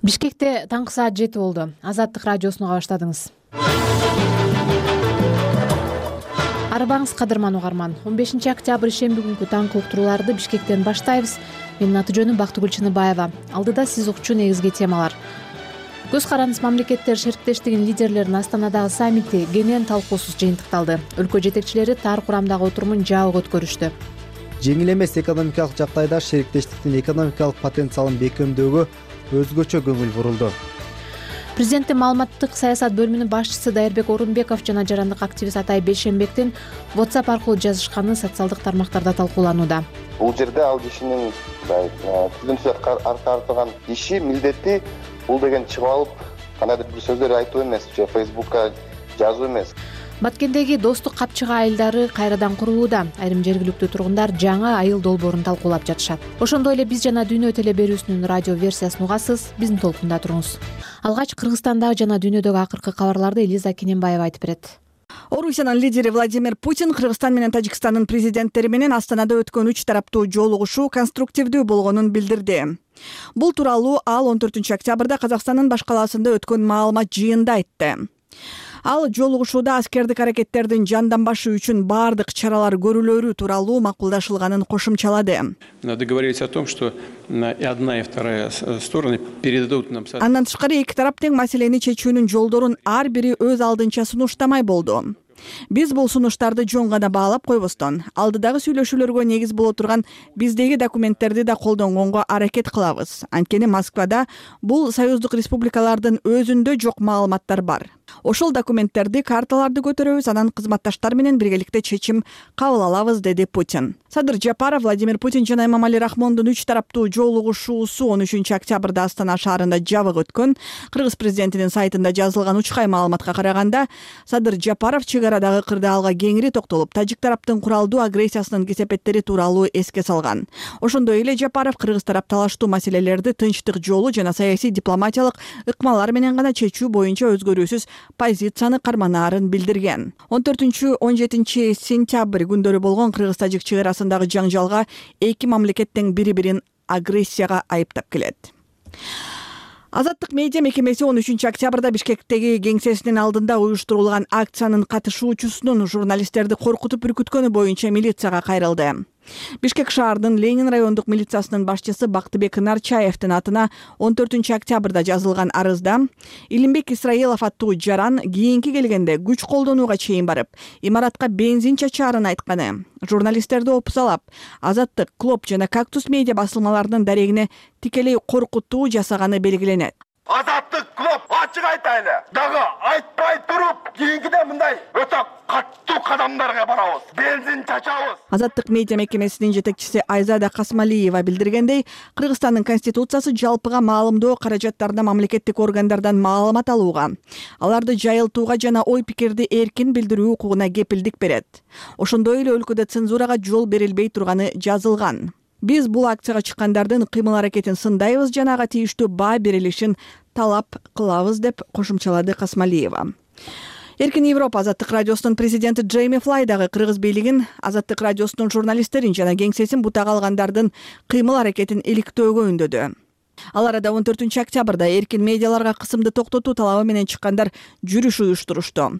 Бишкекте таңкы саат 7 болду. Азаттык радиосуну баштадыңыз. Арбаңыз кадырман угарман. 15 октябрь ишемби күнкү таңкы уктурууларды Бишкектен баштайбыз. Менин аты жөнүм Бактыгүл Чыныбаева. Алдыда сиз укчу негизги темалар. Көз карандыс мамлекеттер шериктештигинин лидерлеринин Астанадагы саммити кенен талкуусуз жыйынтыкталды. Өлкө жетекчилери тар курамдагы отурумун жабык өткөрүштү. Жеңил эмес экономикалык жагдайда шериктештиктин экономикалык потенциалын бекемдөөгө өзгөчө көңүл бурулду. Президенттин маалыматтык саясат бөлүмүнүн башчысы Дайырбек Орунбеков жана жарандык активист Атай Бейшенбектин WhatsApp аркылуу жазышканы социалдык тармактарда талкууланууда. Бул жерде ал кишинин түзүмсүз аткарган иши, милдети бул деген чыгып алып кандайдыр бир сөздөр айтуу эмес, же Facebook'ка жазуу эмес. Баткендеги достук капчыгы айылдары кайрадан курулууда. Айрым жергиликтүү тургундар жаңы айыл долбоорун талкуулап жатышат. Ошондой эле биз жана дүйнө теле берүүсүнүн радио версиясын угасыз. Биздин толкунда туруңуз. Алгач Кыргызстандагы жана дүйнөдөгү акыркы кабарларды Элиза Кененбаева айтып берет. Орусиянын лидери Владимир Путин Кыргызстан менен Тажикстандын президенттери менен Астанада өткөн 3 тараптуу жолугушуу конструктивдүү болгонун билдирди. Бул тууралуу ал 14 октябрда Казакстандын баш калаасында өткөн маалымат жыйынында айтты. Ал жолугушууда аскердик аракеттердин жанданбашы үчүн баардык чаралар көрүлөрү тууралуу макулдашылганын кошумчалады. Договорились о том, что и одна, и вторая стороны передадут нам. Андан тышкары эки тарап тең маселени чечүүнүн жолдорун ар бири өз алдынча сунуштамай болду. Биз бул сунуштарды жөн гана баалап койбостон, алдыдагы сүйлөшүүлөргө негиз боло турган биздеги документтерди да колдонгонго аракет кылабыз. Анткени Москвада бул союздук республикалардын өзүндө жок маалыматтар бар. Ошол документтерди, карталарды көтөрөбүз, анан кызматташтар менен биргеликте чечим кабыл алабыз, деди Путин. Садыр Жапаров Владимир Путин жана Эмомали Рахмондун 3 тараптуу жолугушуусу 13 октябрда Астана шаарында жабык өткөн. Кыргыз президентинин сайтында жазылган учкай маалыматка караганда, Садыр Жапаров чегарадагы кырдаалга кеңири токтолуп, тажик тараптын куралдуу агрессиясынын кесепеттери тууралуу эске салган. Ошондой эле Жапаров кыргыз тарап талаштуу маселелерди тынчтык жолу жана саясий дипломатиялык ыкмалар менен гана чечүү боюнча өзгөрүүсүз позицияны карманаарын билдирген. 14-17 сентябрь күндөрү болгон кыргыз-тажик чегарасындагы жаңжалга эки мамлекет тең бири-бирин агрессияга айыптап келет. Азаттык медиа мекемеси 13 октябрда Бишкектеги кеңсесинин алдында уюштурулган акциянын катышуучусунун журналисттерди коркутуп үркүткөнү боюнча милицияга кайрылды. Бишкек шаарынын Ленин райондук милициясынын башчысы Бактыбек Нарчаевдин атына 14 октябрда жазылган арызда Илимбек Исраилов аттуу жаран кийинки келгенде күч колдонууга чейин барып, имаратка бензин чачаарын айтканы, журналисттерди опусалап, Азаттык, Клоп жана Кактус медиа басылмаларынын дарегине тикелей коркутуу жасаганы белгиленет. Азаттык, Клоп, ачык айтайлы. Дагы айтпай туруп, кийинкиде мындай өтө каттуу кадамдарга барабыз. Бензин чачабыз. Азаттык медиа мекемесинин жетекчиси Айзада Касмалиева билдиргендей, Кыргызстандын конституциясы жалпыга маалымдоо каражаттарына мамлекеттик органдардан маалымат алууга, аларды жайылтууга жана ой пикирди эркин билдирүү укугуна кепилдик берет. Ошондой эле өлкөдө цензурага жол берилбей турганы жазылган. Биз бул акцияга чыккандардын кыймыл-аракетин сындайбыз жана ага тийиштүү баа берилишин талап кылабыз, деп кошумчалады Касмалиева. Эркин Европа Азаттык радиосунун президенти Джейми Флай дагы кыргыз бийлигин, Азаттык радиосунун журналисттерин жана кеңсесин бутага алгандардын кыймыл-аракетин иликтөөгө үндөдү. Ал арада 14 октябрда эркин медиаларга кысымды токтотуу талабы менен чыккандар жүрүш уюштурушту.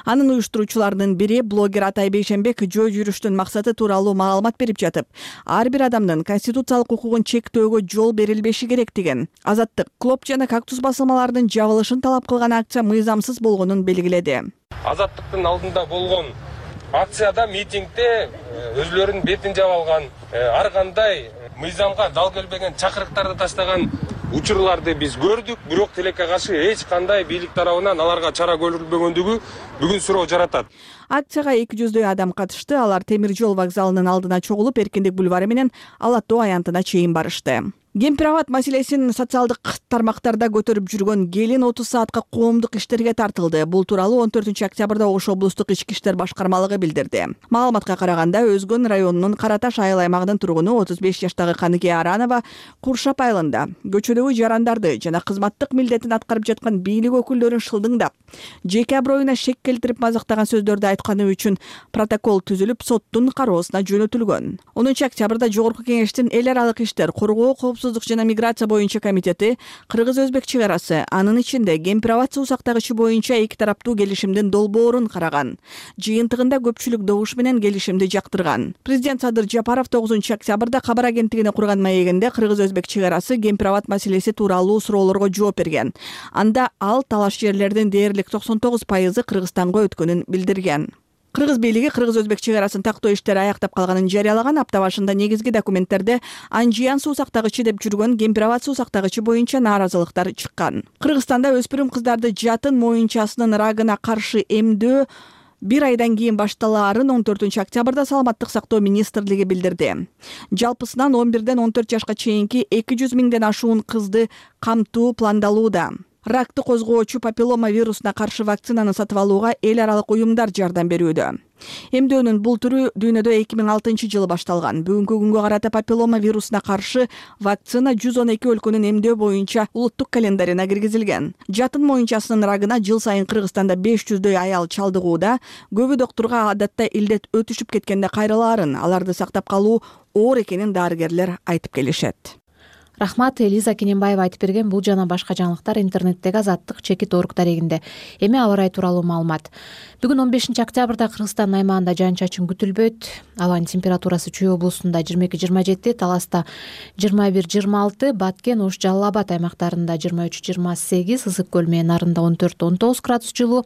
Анын уюштуруучуларынын бири блогер Атай Бейшенбек жөө жүрүштүн максаты тууралуу маалымат берип жатып, ар бир адамдын конституциялык укугун чектөөгө жол берилбеши керек деген. Азаттык, Клоп жана Кактус басылмаларынын жабылышын талап кылган акция мыйзамсыз болгонун белгиледи. Азаттыктын алдында болгон акцияда, митингде өзлөрүнүн бетин жаап алган, ар кандай мыйзамга дал келбеген чакырыктарды таштаган учурларды биз көрдүк, бирок тилекке каршы эч кандай бийлик тарабынан аларга чара көрүлбөгөндүгү бүгүн суроо жаратат. Акцияга 200дөй адам катышты. Алар Темир жол вокзалынын алдына чогулуп, Эркиндик бульвары менен Ала Тоо аянтына чейин барышты. Кемпир-абад маселесин социалдык тармактарда көтөрүп жүргөн келин 30 саатка коомдук иштерге тартылды. Бул тууралуу 14 октябрда Ош облустук ички иштер башкармалыгы билдирди. Маалыматка караганда, Өзгөн районунун Караташ айыл аймагынын тургуну 35 жаштагы Каныке Аранова Куршап айылында көчөдөгү жарандарды жана кызматтык милдетин аткарып жаткан бийлик өкүлдөрүн шылдыңдап, жеке аброюна шек келтирип мазактаган сөздөрдү жоготканы үчүн протокол түзүлүп, соттун кароосуна жөнөтүлгөн. 10 октябрда Жогорку Кеңештин эл аралык иштер, коргоо, коопсуздук жана миграция боюнча комитети кыргыз-өзбек чек арасы, анын ичинде Кемпир-Абад суу сактагычы боюнча эки тараптуу келишимдин долбоорун караган. Жыйынтыгында көпчүлүк добуш менен келишимди жактырган. Президент Садыр Жапаров 9 октябрда кабар агенттигине курган маегинде кыргыз-өзбек чек арасы, Кемпир-Абад маселеси тууралуу суроолорго жооп берген. Анда ал талаш жерлердин дээрлик 99% Кыргызстанга өткөнүн билдирген. Кыргыз бийлиги кыргыз-өзбек чек арасын тактоо иштери аяктап калганын жарыялаган. Апта башында негизги документтерде Анжиян суу сактагычы деп жүргөн Кемпир-Абад суу сактагычы боюнча нааразылыктар чыккан. Кыргызстанда өспүрүм кыздарды жатын моюнчасынын рагына каршы эмдөө 1 айдан кийин башталаарын 14 октябрда Саламаттык сактоо министрлиги билдирди. Жалпысынан 11ден 14 жашка чейинки 200 миңден ашуун кызды камтуу пландалууда. Ракты козгоочу папиллома вирусуна каршы вакцинаны сатып алууга эл аралык уюмдар жардам берүүдө. Эмдөөнүн бул түрү дүйнөдө 2006 башталган. Бүгүнкү күнгө карата папиллома вирусуна каршы вакцина 112 өлкөнүн эмдөө боюнча улуттук календарына киргизилген. Жатын моюнчасынын рагына жыл сайын Кыргызстанда 500дөй аял чалдыгууда. Көбү доктурга адатта илдет өтүшүп кеткенде кайрылаарын, аларды сактап калуу оор экенин дарыгерлер айтып келишет. Рахмат, Элиза Кененбаева айтып берген. Бул жана башка жаңылыктар интернеттеги Азаттык чекит орг дарегинде. Эми аба ырайы тууралуу маалымат. Бүгүн 15 октябрда Кыргызстан аймагында жаан-чачын күтүлбөйт. Абанын температурасы Чүй облусунда 22-27, Таласта 21-26, Баткен, Ош, Жалал Абад аймактарында 23-28, Ысык көл менен Нарында 14-19 градус жылуу.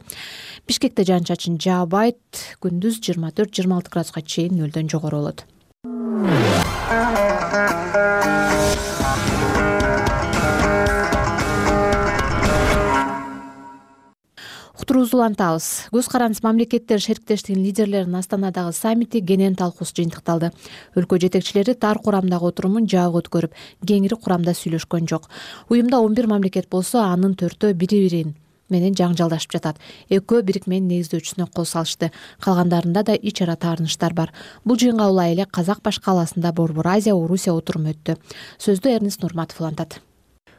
Бишкекте жаан-чачын жаабайт. Күндүз 24-26 градуска чейин нөлдөн жогору болот. Уктуруубузду улантабыз. Көз карандысыз мамлекеттер шериктештигинин лидерлеринин Астанадагы саммити кенен талкуусuz жыйынтыкталды. Өлкө жетекчилери тар курамдагы отурумун жабык өткөрүп, кеңири курамда сүйлөшкөн жок. Уюмда 11 мамлекет болсо, анын 4-өө бири-бири менен жаңжалдашып жатат. Экөө бирикменин негиздөөчүсүнө кол салышты. Калгандарында да ич ара таарынычтар бар. Бул жыйынга улай эле Казак баш калаасында Борбор Азия Орусия отуруму өттү. Сөздү Эрнест Нурматов улантат.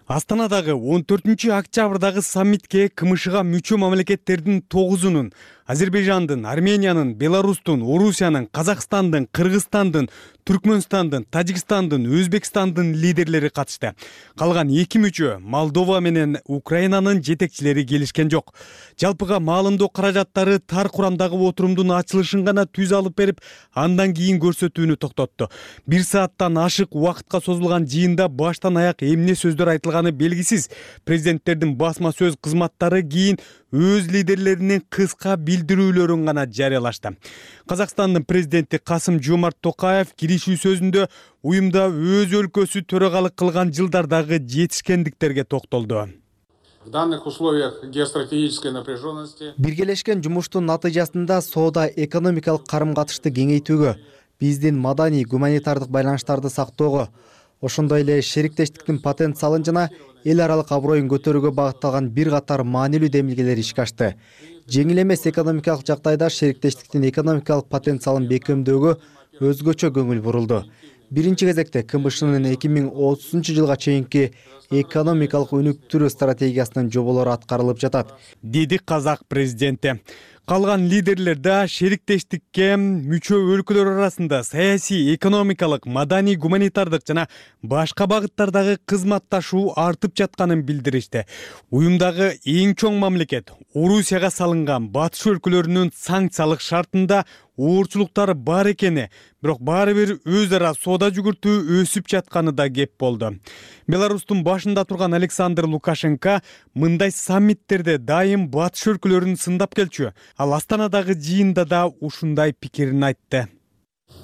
Астанадагы 14 октябрдагы саммитке КМШга мүчө мамлекеттердин 9-унун Азербайжандын, Армениянын, Беларустун, Орусиянын, Казакстандын, Кыргызстандын, Түркмөнстандын, Тажикстандын, Өзбекстандын лидерлери катышты. Калган 2 мүчө Молдова менен Украинанын жетекчилери келишкен жок. Жалпыга маалымдоо каражаттары тар курамдагы отурумдун ачылышын гана түз алып берип, андан кийин көрсөтүүнү токтотту. 1 сааттан ашык убакытка созулган жыйында баштан аяк эмне сөздөр айтылганы белгисиз. Президенттердин басма сөз кызматтары кийин өз лидерлеринин кыска билдирүүлөрүн гана жарыялашты. Казакстандын президенти Касым-Жомарт Токаев киришүү сөзүндө уюмда өз өлкөсү төрагалык кылган жылдардагы жетишкендиктерге токтолду. В данных условиях геостратегической напряженности биргелешкен жумуштун натыйжасында соода экономикалык карым-катышты кеңейтүүгө, биздин маданий гуманитардык байланыштарды сактоого, ошондой эле шериктештиктин потенциалын жана эл аралык аброюн көтөрүүгө багытталган бир катар маанилүү демилгелер ишке ашты. Жеңил эмес экономикалык жагдайда шериктештиктин экономикалык потенциалын бекемдөөгө өзгөчө көңүл бурулду. Биринчи кезекте КМШнын 2030 жылга чейинки экономикалык өнүктүрүү стратегиясынын жоболору аткарылып жатат, деди Казак президенти. Калган лидерлер да шериктештикке мүчө өлкөлөр арасында саясий, экономикалык, маданий, гуманитардык жана башка багыттардагы кызматташуу артып жатканын билдиришти. Уюмдагы эң чоң мамлекет Орусияга салынган батыш өлкөлөрүнүн санкциялык шартында оорчулуктар бар экени, бирок баары бир өз ара соода жүгүртүү өсүп жатканы да кеп болду. Беларустун башында турган Александр Лукашенко мындай саммиттерде дайым батыш өлкөлөрүн сындап келчү. Ал Астанадагы жыйында да ушундай пикирин айтты.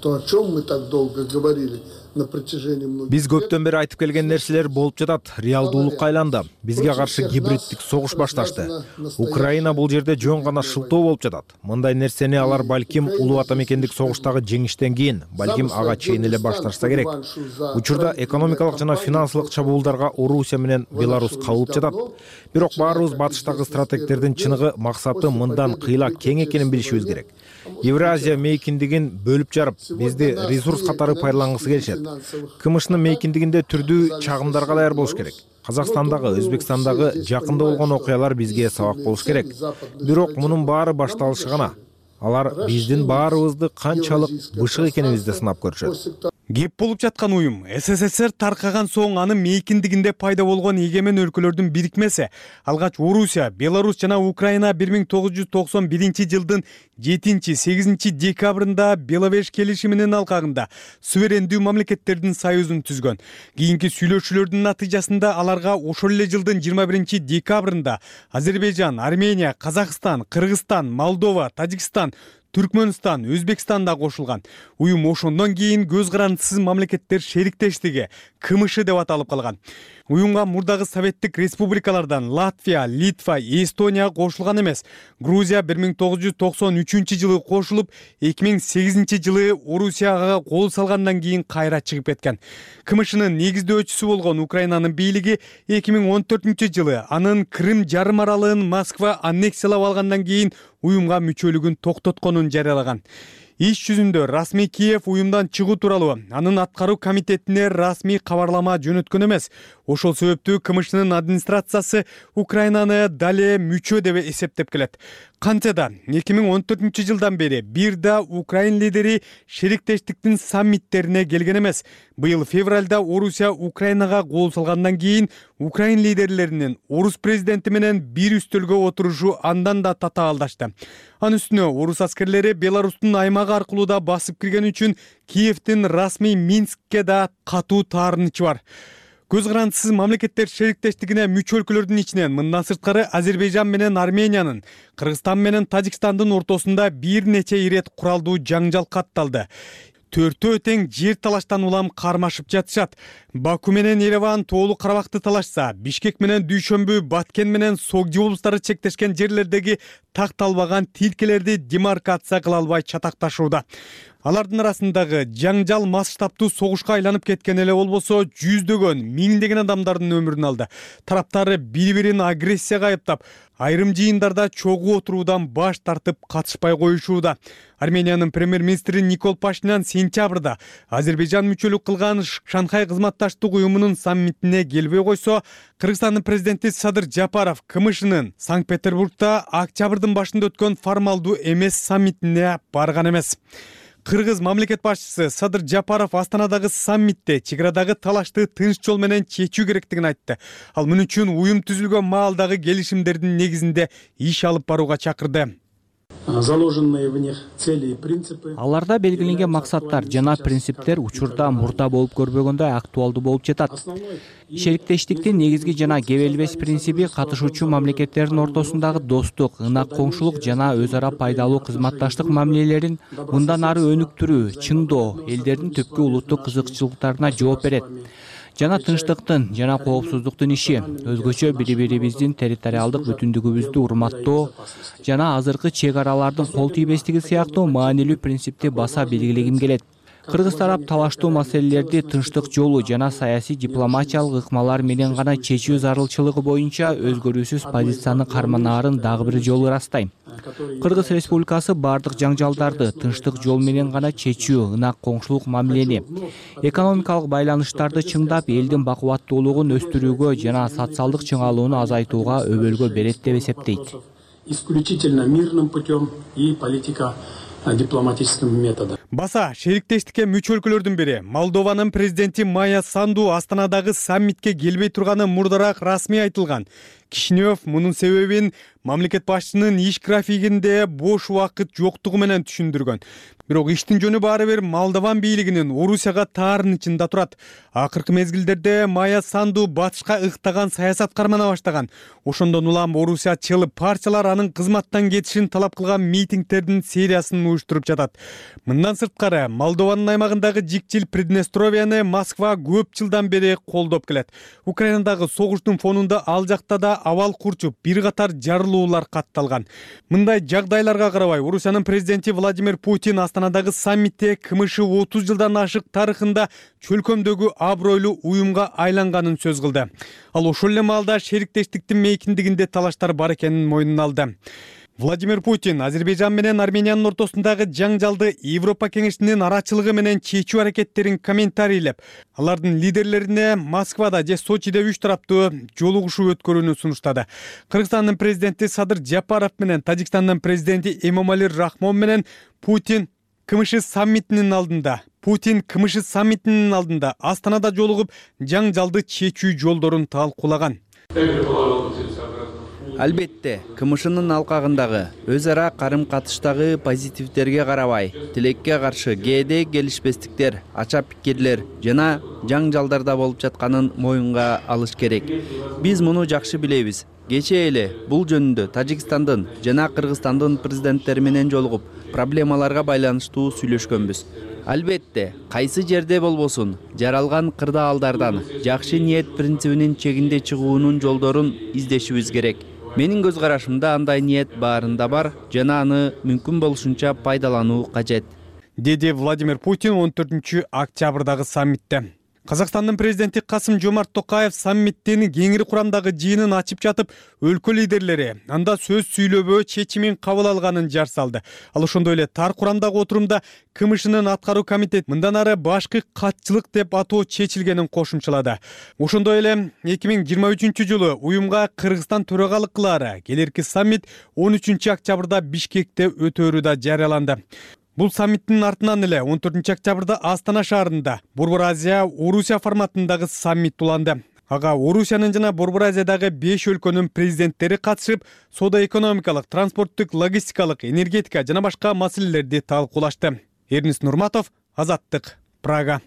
То, о чем мы так долго говорили на протяжении многих Биз көптөн бери айтып келген нерселер болуп жатат. Реалдуулукка айланды. Бизге каршы гибриддик согуш башташты. Украина бул жерде жөн гана шылтоо болуп жатат. Мындай нерсени алар балким улуу ата мекендик согуштагы жеңиштен кийин, балким ага чейин эле башташса керек. Учурда экономикалык жана финансылык чабуулдарга Орусия менен Беларус кабылып жатат. Бирок баарыбыз батыштагы стратегтердин чыныгы максаты мындан кыйла кең экенин билишибиз керек. Евразия мейкиндигин бөлүп жарып, бизди ресурс катары пайдалангысы келишет. КМШнын мейкиндигинде түрдүү чагымдарга даяр болуш керек. Казакстандагы, Өзбекстандагы жакында болгон окуялар бизге сабак болуш керек. Бирок мунун баары башталышы гана. алар биздин баарыбызды канчалык бышык экенибизди сынап көрүшөт. Кеп болуп жаткан уюм СССР таркаган соң анын мейкиндигинде пайда болгон эгемен өлкөлөрдүн бирикмеси. Алгач Орусия, Беларусь жана Украина 1991-жылдын 7-8 декабрында Беловеж келишиминин алкагында суверендүү мамлекеттердин союзун түзгөн. Кийинки сүйлөшүүлөрдүн натыйжасында аларга ошол эле жылдын 21 декабрында Азербайжан, Армения, Казакстан, Кыргызстан, Молдова, Тажикстан, Түркмөнстан, Өзбекстан да кошулган. Уюм ошондон кийин көз карандысыз мамлекеттер шериктештиги КМШ деп аталып калган. Уюмга мурдагы советтик республикалардан Латвия, Литва, Эстония кошулган эмес. Грузия 1993-жылы кошулуп, 2008-жылы Орусияга кол салгандан кийин кайра чыгып кеткен. КМШнын негиздөөчүсү болгон Украинанын бийлиги 2014-жылы анын Крым жарым аралын Москва аннексиялап алгандан кийин уюмга мүчөлүгүн токтотконун жарыялаган. Иш жүзүндө расмий Киев уюмдан чыгуу тууралуу анын аткаруу комитетине расмий кабарлама жөнөткөн эмес. Ошол себептүү КМШнын администрациясы Украинаны дале мүчө деп эсептеп келет. Кантсе да 2014-жылдан бери бир да Украин лидери шериктештиктин саммиттерине келген эмес. Быйыл февралда Орусия Украинага кол салгандан кийин Украин лидерлеринин орус президенти менен бир үстөлгө отурушу андан да татаалдашты. Анын үстүнө орус аскерлери Беларустун аймагы аркылуу да басып кирген үчүн Киевдин расмий Минскке да катуу таарынычы бар. Көз карандысыз мамлекеттер шериктештигине мүчө өлкөлөрдүн ичинен мындан сырткары Азербайжан менен Армениянын, Кыргызстан менен Тажикстандын ортосунда бир нече ирет куралдуу жаңжал катталды. Төртөө тең жер талаштан улам кармашып жатышат. Баку менен Ереван Тоолу Карабакты талашса, Бишкек менен Дүйшөмбү, Баткен менен Согди облустары чектешкен жерлердеги такталбаган тилкелерди демаркация кыла албай чатакташууда. Алардын арасындагы жаңжал масштабтуу согушка айланып кеткен эле болбосо, жүздөгөн, миңдеген адамдардын өмүрүн алды. Тараптары бири-бирин агрессияга айыптап, айрым жыйындарда чогуу отуруудан баш тартып катышпай коюшууда. Армениянын премьер-министри Никол Пашинян сентябрда Азербайжан мүчөлүк кылган Шанхай кызматташтык уюмунун саммитине келбей койсо, Кыргызстандын президенти Садыр Жапаров КМШнын Санкт-Петербургда октябрдын башында өткөн формалдуу эмес саммитине барган эмес. Кыргыз мамлекет башчысы Садыр Жапаров Астанадагы саммитте чек арадагы талашты тынч жол менен чечүү керектигин айтты. Ал мун үчүн уюм түзүлгөн маалдагы келишимдердин негизинде иш алып барууга чакырды. Аларда белгиленген максаттар жана принциптер учурда мурда болуп көрбөгөндөй актуалдуу болуп жатат. Шериктештиктин негизги жана кебелбес принциби катышуучу мамлекеттердин ортосундагы достук, ынак коңшулук жана өз ара пайдалуу кызматташтык мамилелерин мындан ары өнүктүрүү, чыңдоо, элдердин түпкү улуттук кызыкчылыктарына жооп берет. Жана тынчтыктын жана коопсуздуктун иши, өзгөчө бири-бирибиздин территориалдык бүтүндүгүбүздү урматтоо жана азыркы чек аралардын кол тийбестиги сыяктуу маанилүү принципти баса белгилегим келет. Кыргыз тарап талаштуу маселелерди тынчтык жолу жана саясий дипломатиялык ыкмалар менен гана чечүү зарылчылыгы боюнча өзгөрүүсүз позицияны карманаарын дагы бир жолу ырастайм. Кыргыз Республикасы бардык жаңжалдарды тынчтык жол менен гана чечүү, ынак коңшулук мамилени, экономикалык байланыштарды чыңдап, элдин бакубаттуулугун өстүрүүгө жана социалдык чыңалууну азайтууга өбөлгө берет деп эсептейт. Исключительно мирным путем и политика дипломатическим методом. Баса шериктештикке мүчө өлкөлөрдүн бири Молдованын президенти Майя Санду Астанадагы саммитке келбей турганы мурдараак расмий айтылган. Кишинев мунун себебин мамлекет башчысынын иш графигинде бош убакыт жоктугу менен түшүндүргөн. Бирок иштин жөнү баары бир Молдован бийлигинин Орусияга таарынычында турат. Акыркы мезгилдерде Майя Санду батышка ыктаган саясат кармана баштаган. Ошондон улам орусиячыл партиялар анын кызматтан кетишин талап кылган митингдердин сериясын уюштуруп жатат. Мындан сырткары Молдованын аймагындагы жикчил Приднестровияны Москва көп жылдан бери колдоп келет. Украинадагы согуштун фонунда ал жакта да абал курчуп, бир катар жарылуулар катталган. Мындай жагдайларга карабай, Орусиянын президенти Владимир Путин Астанадагы саммитте КМШ 30 жылдан ашык тарыхында чөлкөмдөгү абройлуу уюмга айланганын сөз кылды. Ал ошол эле маалда шериктештиктин мейкиндигинде талаштар бар экенин мойнуна алды. Владимир Путин Азербайжан менен Армениянын ортосундагы жаңжалды Европа кеңешинин арачылыгы менен чечүү аракеттерин комментарийлеп, алардын лидерлерине Москвада же Сочиде 3 тараптуу жолугушуу өткөрүүнү сунуштады. Кыргызстандын президенти Садыр Жапаров менен Тажикстандын президенти Эмомали Рахмон менен Путин КМШ саммитинин алдында Астанада жолугуп, жаңжалды чечүү жолдорун талкуулаган. Албетте, КМШнын алкагындагы өз ара карым-катыштагы позитивдерге карабай, тилекке каршы кээде келишпестиктер, ача пикирлер жана жаңжалдарда болуп жатканын моюнга алыш керек. Биз муну жакшы билебиз. Кечээ эле бул жөнүндө Тажикстандын жана Кыргызстандын президенттери менен жолугуп, проблемаларга байланыштуу сүйлөшкөнбүз. Албетте, кайсы жерде болбосун, жаралган кырдаалдардан жакшы ниет принцибинин чегинде чыгуунун жолдорун издешибиз керек. Менин көз карашымда андай ниет баарында бар жана аны мүмкүн болушунча пайдалануу кажет, деди Владимир Путин 14 октябрдагы саммитте. Казакстандын президенти Касым-Жомарт Токаев саммиттин кеңири курамдагы жыйынын ачып жатып, өлкө лидерлери анда сөз сүйлөбөө чечимин кабыл алганын жар салды. Ал ошондой эле тар курамдагы отурумда КМШнын аткаруу комитет мындан ары башкы катчылык деп атоо чечилгенин кошумчалады. Ошондой эле 2023-жылы уюмга Кыргызстан төрагалык кылаары келерки саммит 13 октябрда Бишкекте өтөөрү да жарыяланды. Бул саммиттин артынан эле 14 октябрда Астана шаарында Борбор Азия Орусия форматындагы саммит уланды. Ага Орусиянын жана Борбор Азиядагы 5 өлкөнүн президенттери катышып, соода-экономикалык, транспорттук, логистикалык, энергетика жана башка маселелерди талкуулашты. Эрнис Нурматов, Азаттык, Прага.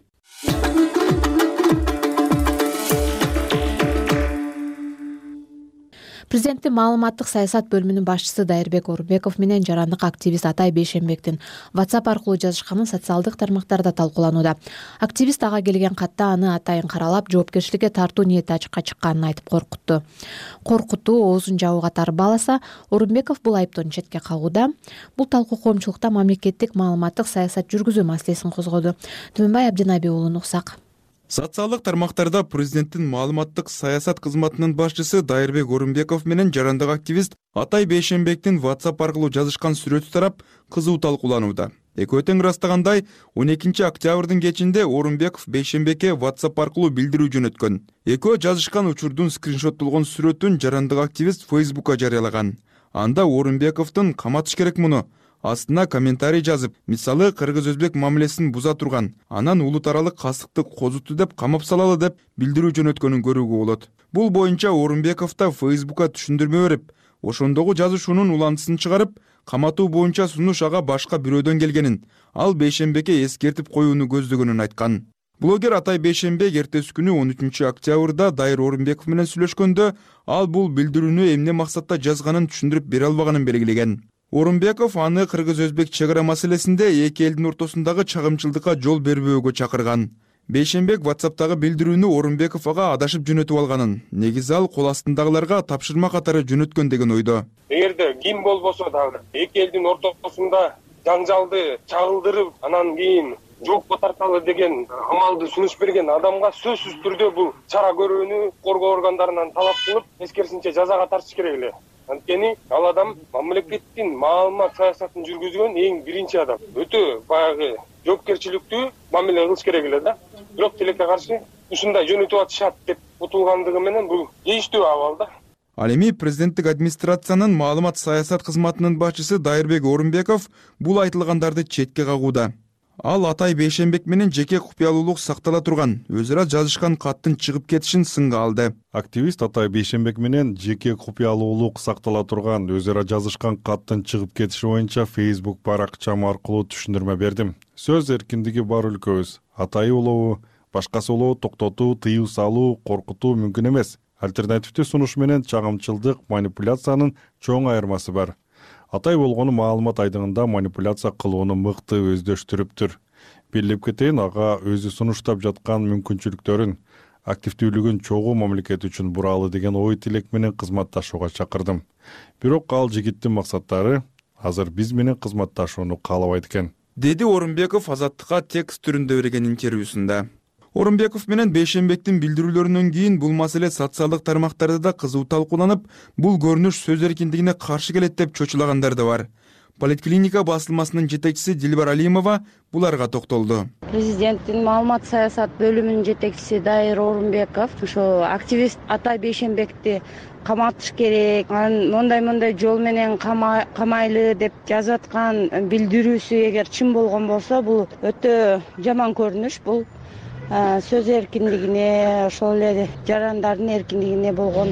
Президенттин маалыматтык саясат бөлүмүнүн башчысы Дайырбек Орунбеков менен жарандык активист Атай Бейшенбектин WhatsApp аркылуу жазышканы социалдык тармактарда талкууланууда. Активист ага келген катта аны атайын каралап, жоопкерчиликке тартуу ниети ачыкка чыкканын айтып коркутту. Коркутуу оозун жабуу катары бааласа, Орунбеков бул айыптон четке калууда. Бул талкуу коомчулукта мамлекеттик маалыматтык саясат жүргүзүү маселесин козгоду. Түмөнбай Абдинаби уулун уксак. Социалдык тармактарда президенттин маалыматтык саясат кызматынын башчысы Дайырбек Орунбеков менен жарандык активист Атай Бейшенбектин WhatsApp аркылуу жазышкан сүрөтү тарап, кызуу талкууланууда. Экөө тең ырастагандай, 12 октябрдын кечинде Орунбеков Бейшенбекке WhatsApp аркылуу билдирүү жөнөткөн. Экөө жазышкан учурдун скриншоттолгон сүрөтүн жарандык активист Facebook'ка жарыялаган. Анда Орунбековдун каматыш керек муну, астына комментарий жазып, мисалы кыргыз-өзбек мамилесин буза турган, анан улут аралык кастыкты козуту деп камап салалы деп билдирүү жөнөткөнүн көрүүгө болот. Бул боюнча Орунбеков да Facebook'ка түшүндүрмө берип, ошондогу жазышуунун улантысын чыгарып, каматуу боюнча сунуш ага башка бирөөдөн келгенин, ал Бейшенбекке эскертип коюуну көздөгөнүн айткан. Блогер Атай Бейшенбек эртеси күнү 13 октябрда Дайыр Орунбеков менен сүйлөшкөндө, ал бул билдирүүнү эмне максатта жазганын түшүндүрүп бере албаганын белгилеген. Орунбеков аны кыргыз-өзбек чек ара маселесинде эки элдин ортосундагы чагымчылдыкка жол бербөөгө чакырган. Бейшенбек WhatsApp'тагы билдирүүнү Орунбеков ага адашып жөнөтүп алганын, негизи ал кол астындагыларга тапшырма катары жөнөткөн деген ойдо. Эгерде ким болбосо дагы эки элдин ортосунда жаңжалды чагылдырып, анан кийин жоопко тарталы деген амалды сунуш берген адамга сөзсүз түрдө бул чара көрүүнү коргоо органдарынан талап кылып, эскерисинче жазага тартыш керек эле. Анткени ал адам мамлекеттин маалымат саясатын жүргүзгөн эң биринчи адам. Өтө баягы жоопкерчиликтүү мамиле кылыш керек эле да. Бирок тилекке каршы ушундай жөнөтүп атышат деп утулгандыгы менен бул тийиштүү абал да. Ал эми президенттик администрациянын маалымат саясат кызматынын башчысы Дайырбек Орунбеков бул айтылгандарды четке кагууда. Ал Атай Бейшенбек менен жеке купуялуулук сактала турган, өз ара жазышкан каттын чыгып кетишин сынга алды. Активист Атай Бейшенбек менен жеке купуялуулук сактала турган, өз ара жазышкан каттын чыгып кетиши боюнча Facebook баракчам аркылуу түшүндүрмө бердим. Сөз эркиндиги бар өлкөбүз. Атайы улоо, башкасы улоо токтотуу, тыюу салуу, коркутуу мүмкүн эмес. Альтернативдүү сунуш менен чагымчылдык, манипуляциянын чоң айырмасы бар. Атай болгону маалымат айдыгында манипуляция кылууну мыкты өздөштүрүптүр. Билип кетейин, ага өзү сунуштап жаткан мүмкүнчүлүктөрүн, активдүүлүгүн чогуу мамлекет үчүн буралы деген ой тилек менен кызматташууга чакырдым. Бирок ал жигиттин максаттары азыр биз менен кызматташууну каалабайт экен, деди Орунбеков Азаттыкка текст түрүндө берген интервьюсунда. Орунбеков менен Бейшенбектин билдирүүлөрүнөн кийин бул маселе социалдык тармактарда да кызуу талкууланып, бул көрүнүш сөз эркиндигине каршы келет деп чочулагандар да бар. Политклиника басылмасынын жетекчиси Дилбар Алимова буларга токтолду. Президенттин маалымат саясат бөлүмүнүн жетекчиси Дайыр Орунбеков ошо активист Атай Бейшенбекти каматыш керек, мондай жол менен камайлы деп жазып аткан билдирүүсү эгер чын болгон болсо, бул өтө жаман көрүнүш. Бул сөз эркиндигине, ошол эле жарандардын эркиндигине болгон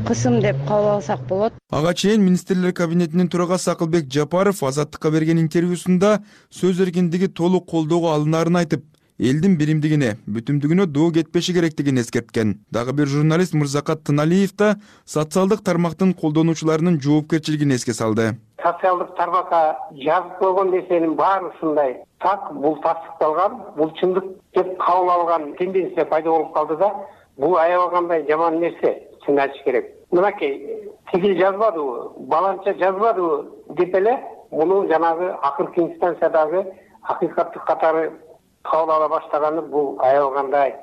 кысым деп кабыл алсак болот. Ага чейин министрлер кабинетинин төрагасы Акылбек Жапаров Азаттыкка берген интервьюсунда сөз эркиндиги толук колдоого алынаарын айтып, элдин биримдигине, бүтүмдүгүнө доо кетпеши керектигин эскерткен. Дагы бир журналист Мырзакат Тыналиев да социалдык тармактын колдонуучуларынын жоопкерчилигин эске салды. Социалдык тармакка жазып койгон нерсенин баары ушундай. Так, бул тастыкталган, бул чындык деп кабыл алган тенденция пайда болуп калды да, бул аябагандай жаман нерсе, чын айтыш керек. Мынакей, тигил жазбадыбы, баланча жазбадыбы деп эле муну жанагы акыркы инстанциядагы акыйкаттык катары кабыл ала баштаганы бул аябагандай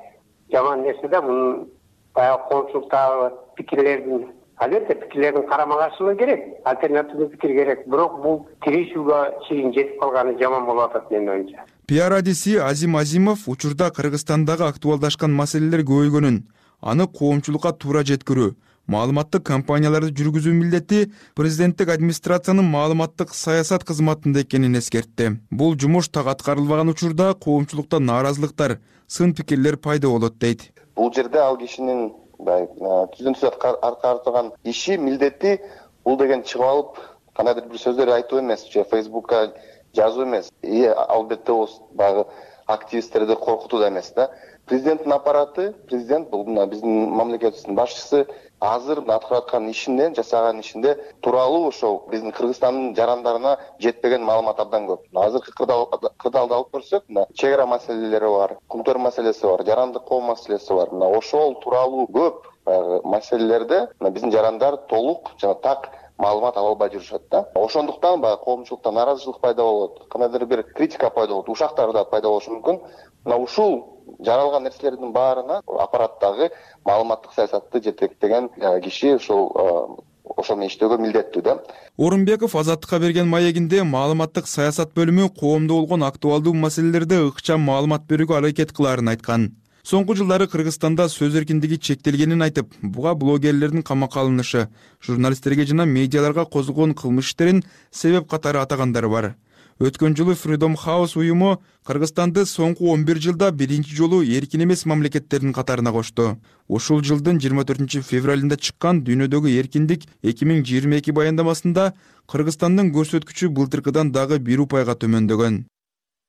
жаман нерсе да. Мунун баягы коомчулуктагы пикирлердин, албетте пикирлердин карама каршылыгы керек, альтернативдүү пикир керек, бирок бул тирешүүгө чейин жетип калганы жаман болуп атат менин оюмча. Пиар адиси Азим Азимов учурда Кыргызстандагы актуалдашкан маселелер көбөйгөнүн, аны коомчулукка туура жеткирүү, маалыматтык кампанияларды жүргүзүү милдети президенттик администрациянын маалыматтык саясат кызматында экенин эскертти. Бул жумуш так аткарылбаган учурда коомчулукта нааразылыктар, сын пикирлер пайда болот дейт. Бул жерде ал кишинин түздөн түз аткарылган иши, милдети бул деген чыгып алып кандайдыр бир сөздөр айтуу эмес, же Фейсбукка жазуу эмес. Албетте ол баягы активисттерди коркутуу да эмес да. Президенттин аппараты, президент бул биздин мамлекетибиздин башчысы азыр аткарып аткан ишинде, жасаган ишинде тууралуу ошол биздин Кыргызстандын жарандарына жетпеген маалымат абдан көп. Азыркы кырдаалды алып көрсөк, чек ара маселелери бар, кумтөр маселеси бар, жарандык коо маселеси бар. Ошол тууралуу көп маселелерде биздин жарандар толук жана так маалымат ала албай жүрүшөт да. Ошондуктан баягы коомчулукта нааразычылык пайда болот, кандайдыр бир критика пайда болот, ушактар да пайда болушу мүмкүн. Ушул жаралган нерселердин баарына аппараттагы маалыматтык саясатты жетектеген киши ошол менен иштөөгө милдеттүү да. Орунбеков Азаттыкка берген маегинде маалыматтык саясат бөлүмү коомдо болгон актуалдуу маселелерде ыкчам маалымат берүүгө аракет кылаарын айткан. Соңку жылдары Кыргызстанда сөз эркиндиги чектелгенин айтып, буга блогерлердин камакка алынышы, журналисттерге жана медиаларга козголгон кылмыш иштерин себеп катары атагандары бар. Өткөн жылы Freedom House уюму Кыргызстанды соңку 11 жылда биринчи жолу эркин эмес мамлекеттердин катарына кошту. Ушул жылдын 24 февралында чыккан Дүйнөдөгү эркиндик 2022 баяндамасында Кыргызстандын көрсөткүчү былтыркыдан дагы 1 упайга төмөндөгөн.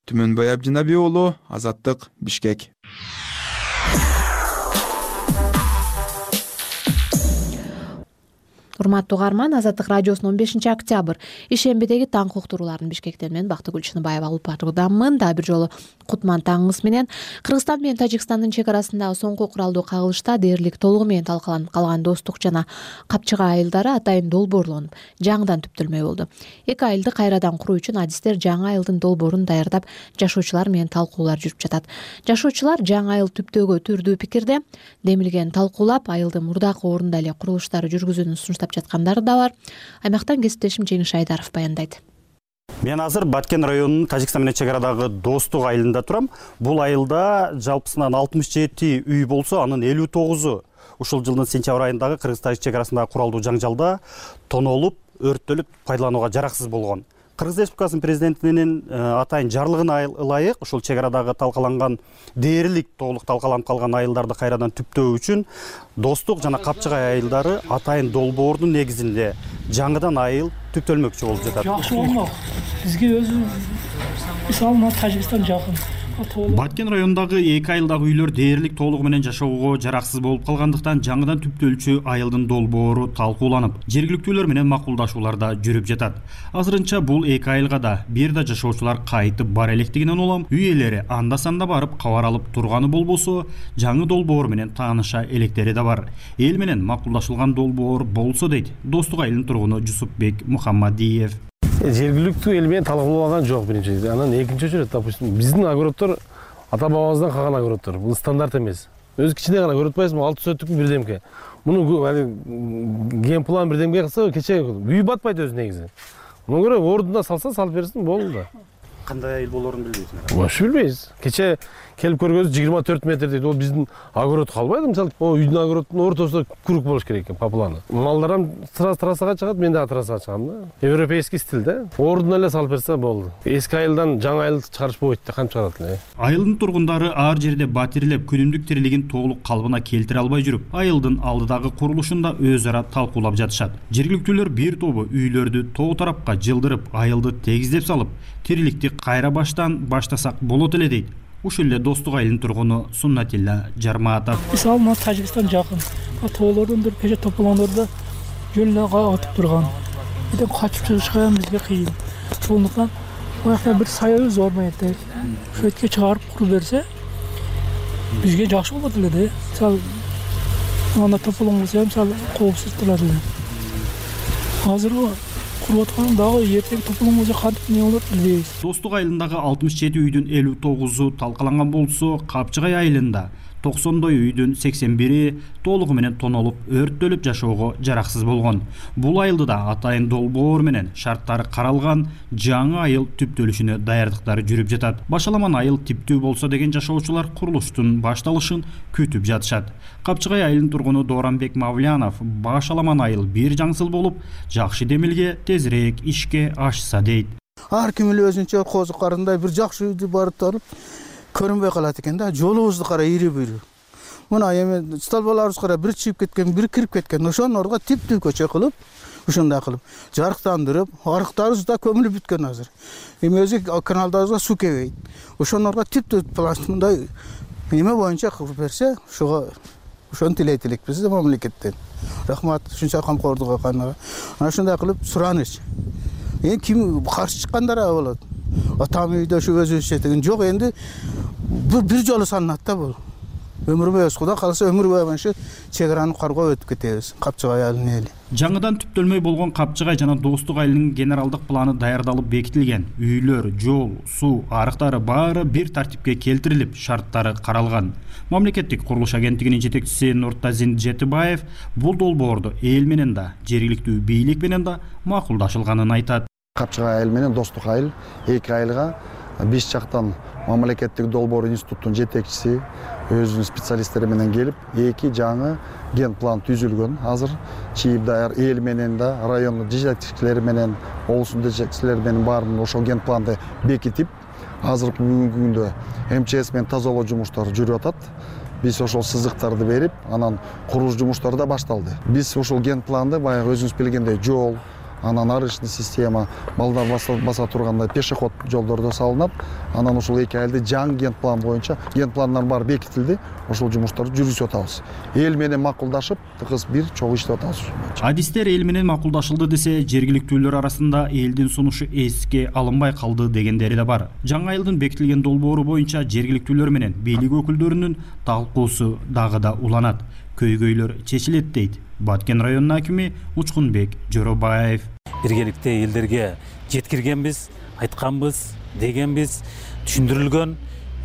Түмөнбай Абдинаби уулу, Азаттык, Бишкек. Урматтуу угарман, Азаттык радиосунун 15 октябрь ишембидеги таң уктурууларын Бишкектен мен Бактыгүл Чыныбаева алып баруудамын. Дагы бир жолу кутман таңыңыз менен. Кыргызстан менен Тажикстандын чек арасындагы соңку куралдуу кагылышта дээрлик толугу менен талкаланып калган достук жана Капчыга айылдары атайын долбоорлонуп, жаңыдан түптөлмөй болду. Эки айылды кайрадан куруу үчүн адистер жаңы айылдын долбоорун даярдап, жашоочулар менен талкуулар жүрүп жатат. Жашоочулар жаңы айыл түптөөгө түрдүү пикирде, демилген талкуулап, айылдын мурдакы орунда эле курулуштары жүргүзүүнү сунуштап жаткандары да бар. Аймактан кесиптешим Жеңиш Айдаров баяндайт. Мен азыр Баткен районунун Тажикстан менен чек арадагы Достук айылында турам. Бул айылда жалпысынан 67 үй болсо, анын 59-у ушул жылдын сентябрь айындагы Кыргыз-Тажик чек арасындагы куралдуу жаңжалда тонолуп, өрттөлүп, пайдаланууга жараксыз болгон. Кыргыз Республикасынын президентинин атайын жарлыгына ылайык ушул чек арадагы талкаланган дээрлик толук талкаланып калган айылдарды кайрадан түптөө үчүн Достук жана Капчыгай айылдары атайын долбоордун негизинде жаңыдан айыл түптөлмөкчү болуп жатат. Жакшы болмок. Бизге өзү мисалы Тажикстан жакын. Баткен районундагы эки айылдагы үйлөр дээрлик толугу менен жашоого жараксыз болуп калгандыктан жаңыдан түптөлчү айылдын долбоору талкууланып, жергиликтүүлөр менен макулдашууларда жүрүп жатат. Азырынча бул эки айылга да бир да жашоочулар кайтып бара электигинен улам үй ээлери анда-санда барып кабар алып турганы болбосо, жаңы долбоор менен тааныша электери да бар. Эл менен макулдашылган долбоор болсо дейт Достук айылынын тургуну Жусупбек Мухаммадиев. Жергиликтүү эл менен талкууланган жок биринчи. Анан экинчи очередь, допустим, биздин огороддор ата бабабыздан калган огороддор. Бул стандарт эмес. Өзү кичине гана көрүп атпайсызбы? 6 сотуктун бирдемке. Муну ген план бирдемке кылса кече үй батпайт өзү негизи. Муну көрө ордуна салса салып берсин, болду да. Кандай айыл болоорун билбейсиңер? Вообще билбейбиз. Кече келип көргөнбүз 24 метр дейт. Ол биздин огород калбайт, мисалы, үйдүн огородунун ортосунда круг болуш керек экен, по плану. Малдар трассага чыгат, мен да трассага чыгам да. Европейский стиль да. Ордуна эле салып берсе болду. Эски айылдан жаңы айыл чыгарыш болбойт да, кантип чыгарат эле. Айылдын тургундары ар жерде батирлеп, күнүмдүк тирилигин толук калыбына келтире албай жүрүп, айылдын алдыдагы курулушунда өз ара талкуулап жатышат. Жергиликтүүлөр бир тобу үйлөрдү тоо тарапка жылдырып, айылды тегиздеп салып, тириликти кайра баштан баштасак болот эле дейт. Ушул эле Достук айылынын тургуну Суннатилла Жарматов. Мисалы, мына Тажикстан жакын. Тоолордон бир кече тополоңдордо жөн эле атып турган. Эден качып чыгышка бизге кыйын. Ошондуктан буякта бир саябыз зор менен ошо этке чыгарып куруп берсе, бизге жакшы болот эле да. Мисалы, анда тополоң болсо, мисалы, коопсуз турат эле. Азыр куруп аткан дагы эртең тополоң болсо кантип эмне болот билбейбиз. Достук айылындагы 67 үйдүн 59-у талкаланган болсо, Капчыгай айылында 90 үйдүн 81-и толугу менен тонолуп, өрттөлүп жашоого жараксыз болгон. Бул айылда да атайын долбоор менен шарттары каралган жаңы айыл түптөлүшүнө даярдыктар жүрүп жатат. Башаламан айыл типтүү болсо деген жашоочулар курулуштун башталышын күтүп жатышат. Капчыгай айылынын тургуну Дооранбек Мавлянов башаламан айыл бир жаңсыл болуп, жакшы демилге тезирээк ишке ашса дейт. Ар ким эле өзүнчө козукарындай бир жакшы үйдү барып туруп көрүнбөй калат экен да. Жолубузду кара, ири-бири. Мына эми столбаларыбыз кара, бир чыгып кеткен, бир кирип кеткен. Ошонун ордуна типтүү көчө кылып, ушундай кылып, жарыктандырып, арыктарыбыз да көмүлүп бүткөн азыр. Эми өзү каналдарыбызга суу келбейт. Ошонун ордуна типтүү пластмындай эме боюнча кылып берсе, ошону тилейт элекпиз да мамлекеттен. Рахмат, ушунча камкордук кылганга. Ana ушундай кылып сураныч. Эми ким каршы чыккандар болот. Атам үйдө ушу өзүбүзчө деген жок, энди бир жолу саналат да бул. Өмүр бою Кудай калса өмүр бою ушу чек араны каргоо өтүп кетебиз. Капчыгай айылынын эли. Жаңыдан түптөлмөй болгон Капчыгай жана Достук айылынын генералдык планы даярдалып бекитилген. Үйлөр, жол, суу, арыктары баары бир тартипке келтирилип, шарттары каралган. Мамлекеттик курулуш агенттигинин жетекчиси Нуртазин Жетибаев бул долбоорду эл менен да, жергиликтүү бийлик менен да макулдашылганын айтат. Капчыгай айыл менен Достук айыл эки айылга биз жактан мамлекеттик долбоор институттун жетекчиси өзүнүн специалисттери менен келип, эки жаңы ген план түзүлгөн. Азыр чийип даяр эл менен да, райондун жетекчилери менен, облустун жетекчилери менен баарын ошол ген планды бекитип, азыркы бүгүнкү күндө МЧС менен тазалоо жумуштары жүрүп атат. Биз ошол сызыктарды берип, анан курулуш жумуштары да башталды. Биз ошол ген планды баягы өзүңүз билгендей жол, анан арычный система, балдар баса тургандай пешеход жолдордо салынат. Анан ошол эки айылды жаңы ген план боюнча, ген пландар баары бекитилди. Ошол жумуштарды жүргүзүп атабыз. Эл менен макулдашып, тыгыз бир чогуу иштеп атабыз. Адистер эл менен макулдашылды десе, жергиликтүүлөр арасында элдин сунушу эске алынбай калды дегендери да бар. Жаңы айылдын бекитилген долбоору боюнча жергиликтүүлөр менен бийлик өкүлдөрүнүн талкуусу дагы да уланат. Көйгөйлөр чечилет дейт Баткен районунун акими Учкунбек Жоробаев. Биргеликте элдерге жеткиргенбиз, айтканбыз, дегенбиз, түшүндүрүлгөн.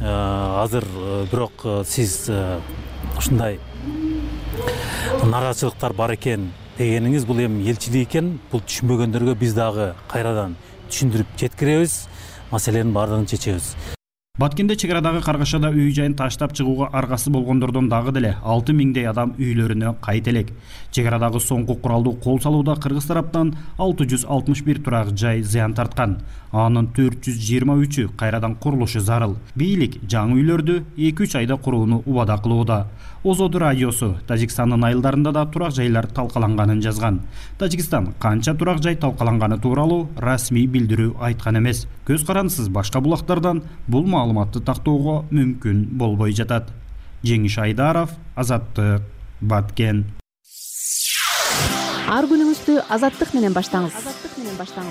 Азыр бирок сиз ушундай нараачылыктар бар экен дегениңиз бул эми элчилик экен. Бул түшүнбөгөндөргө биз дагы кайрадан түшүндүрүп жеткиребиз, маселенин баардыгын чечебиз. Баткенде чек арадагы каргашада үй жайын таштап чыгууга аргасы болгондордон дагы деле 6000 адам үйлөрүнө кайт элек. Чек арадагы соңку куралдуу кол салууда кыргыз тараптан 661 турак жай зыян тарткан. Анын 423-ü кайрадан курулушу зарыл. Бийлик жаңы үйлөрдү 2-3 айда курууну убада кылууда. Озоду радиосу Тажикстандын айылдарында да турак жайлар талкаланганын жазган. Тажикстан канча турак жай талкаланганы тууралуу расмий билдирүү айткан эмес. Көз карандысыз башка булактардан бул маалыматты тактоого мүмкүн болбой жатат. Жеңиш Айдаров, Азаттык, Баткен. Ар күнүңүздү азаттык менен баштаңыз.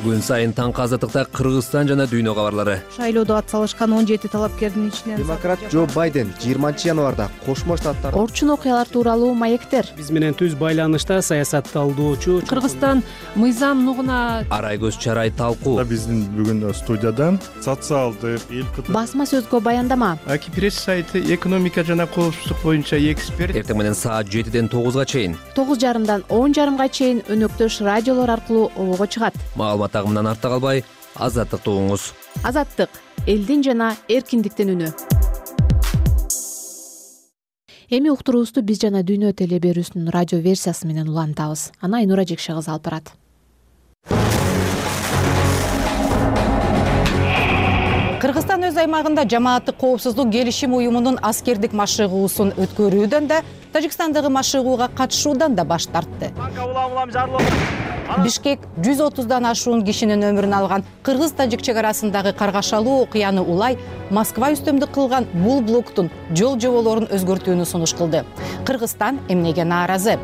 Күн сайын таңкы азаттыкта Кыргызстан жана дүйнө кабарлары. Шайлоодо ат салышкан 17 талапкердин ичинен Демократ Джо Байден 20 январда Кошмо Штаттар Орчун окуялар тууралуу маектер. Биз менен түз байланышта саясатталдоочу Кыргызстан мыйзам нугуна Арай көз чарай талкуу. Биздин бүгүн студияда социалдык Басма сөзгө баяндама. Кипресс сайты экономика жана коопсуздук боюнча эксперт. Эртең менен саат 7ден 9га чейин. 9:30дан 10:30га чейин өнөктөш радиолор аркылуу обого чыгат. Маалымат агымынан артта калбай, азаттыкты угуңуз. Азаттык — элдин жана эркиндиктин үнү. Эми уктуруубузду биз жана дүйнө теле берүүсүнүн радио версиясы менен улантабыз. Аны Айнура Жекше кызы алып барат. Кыргызстан өз аймагында жамааттык коопсуздук келишим уюмунун аскердик машыгуусун өткөрүүдөн да, Тажикстандагы машыгууга катышуудан да баш тартты. Бишкек 130дан ашуун кишинин өмүрүн алган кыргыз-тажик чек арасындагы каргашалуу окуяны улай Москва үстөмдүк кылган бул блоктун жол жоболорун өзгөртүүнү сунуш кылды. Кыргызстан эмнеге нааразы?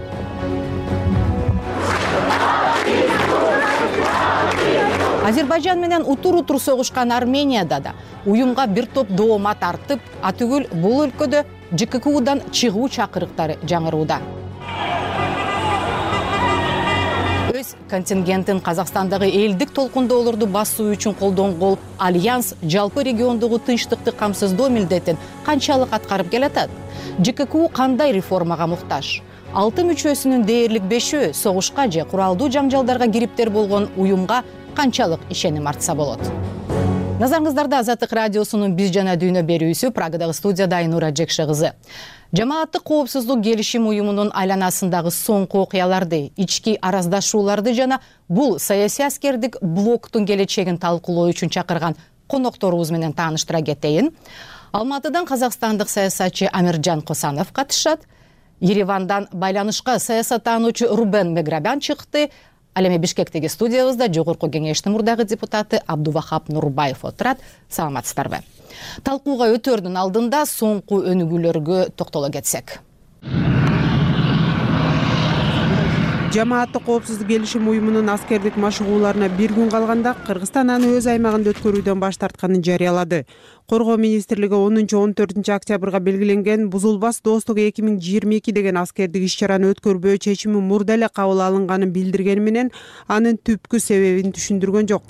Азербайжан менен утур-утур согушкан Арменияда да уюмга бир топ доомат артып, атүгүл бул өлкөдө ЖККУдан чыгуу чакырыктары жаңырууда. Өз контингентин Казакстандагы элдик толкундоолорду басуу үчүн колдонгол Альянс жалпы региондогу тынчтыкты камсыздоо милдетин канчалык аткарып келатат? ЖККУ кандай реформага муктаж? 6 мүчөсүнүн дээрлик 5-өө согушка же куралдуу жаңжалдарга кириптер болгон уюмга канчалык ишеним артса болот? Назарыңыздарда Азаттык радиосунун биз жана дүйнө берүүсү, Прагадагы студияда Айнура Жекше кызы. Жамааттык коопсуздук келишим уюмунун айланасындагы соңку окуяларды, ички араздашууларды жана бул саясий аскердик блоктун келечегин талкуулоо үчүн чакырган конокторубуз менен тааныштыра кетейин. Алматыдан казакстандык саясатчы Амиржан Косанов катышат. Еревандан байланышка саясаттануучу Рубен Меграбян чыкты. Ал эми Бишкектеги студиябызда жогорку кеңештин мурдагы депутаты Абдувахап Нурбаев отурат. Саламатсыздарбы? Талкууга өтөрдүн алдында соңку өнүгүүлөргө токтоло кетсек. Жамааттык коопсуздук келишим уюмунун аскердик машыгууларына бир күн калганда Кыргызстан аны өз аймагында өткөрүүдөн баш тартканын жарыялады. Коргоо министрлиги 10-14 октябрга белгиленген бузулбас достук 2022 деген аскердик иш-чараны өткөрбөө чечими мурда эле кабыл алынганын билдиргени менен анын түпкү себебин түшүндүргөн жок.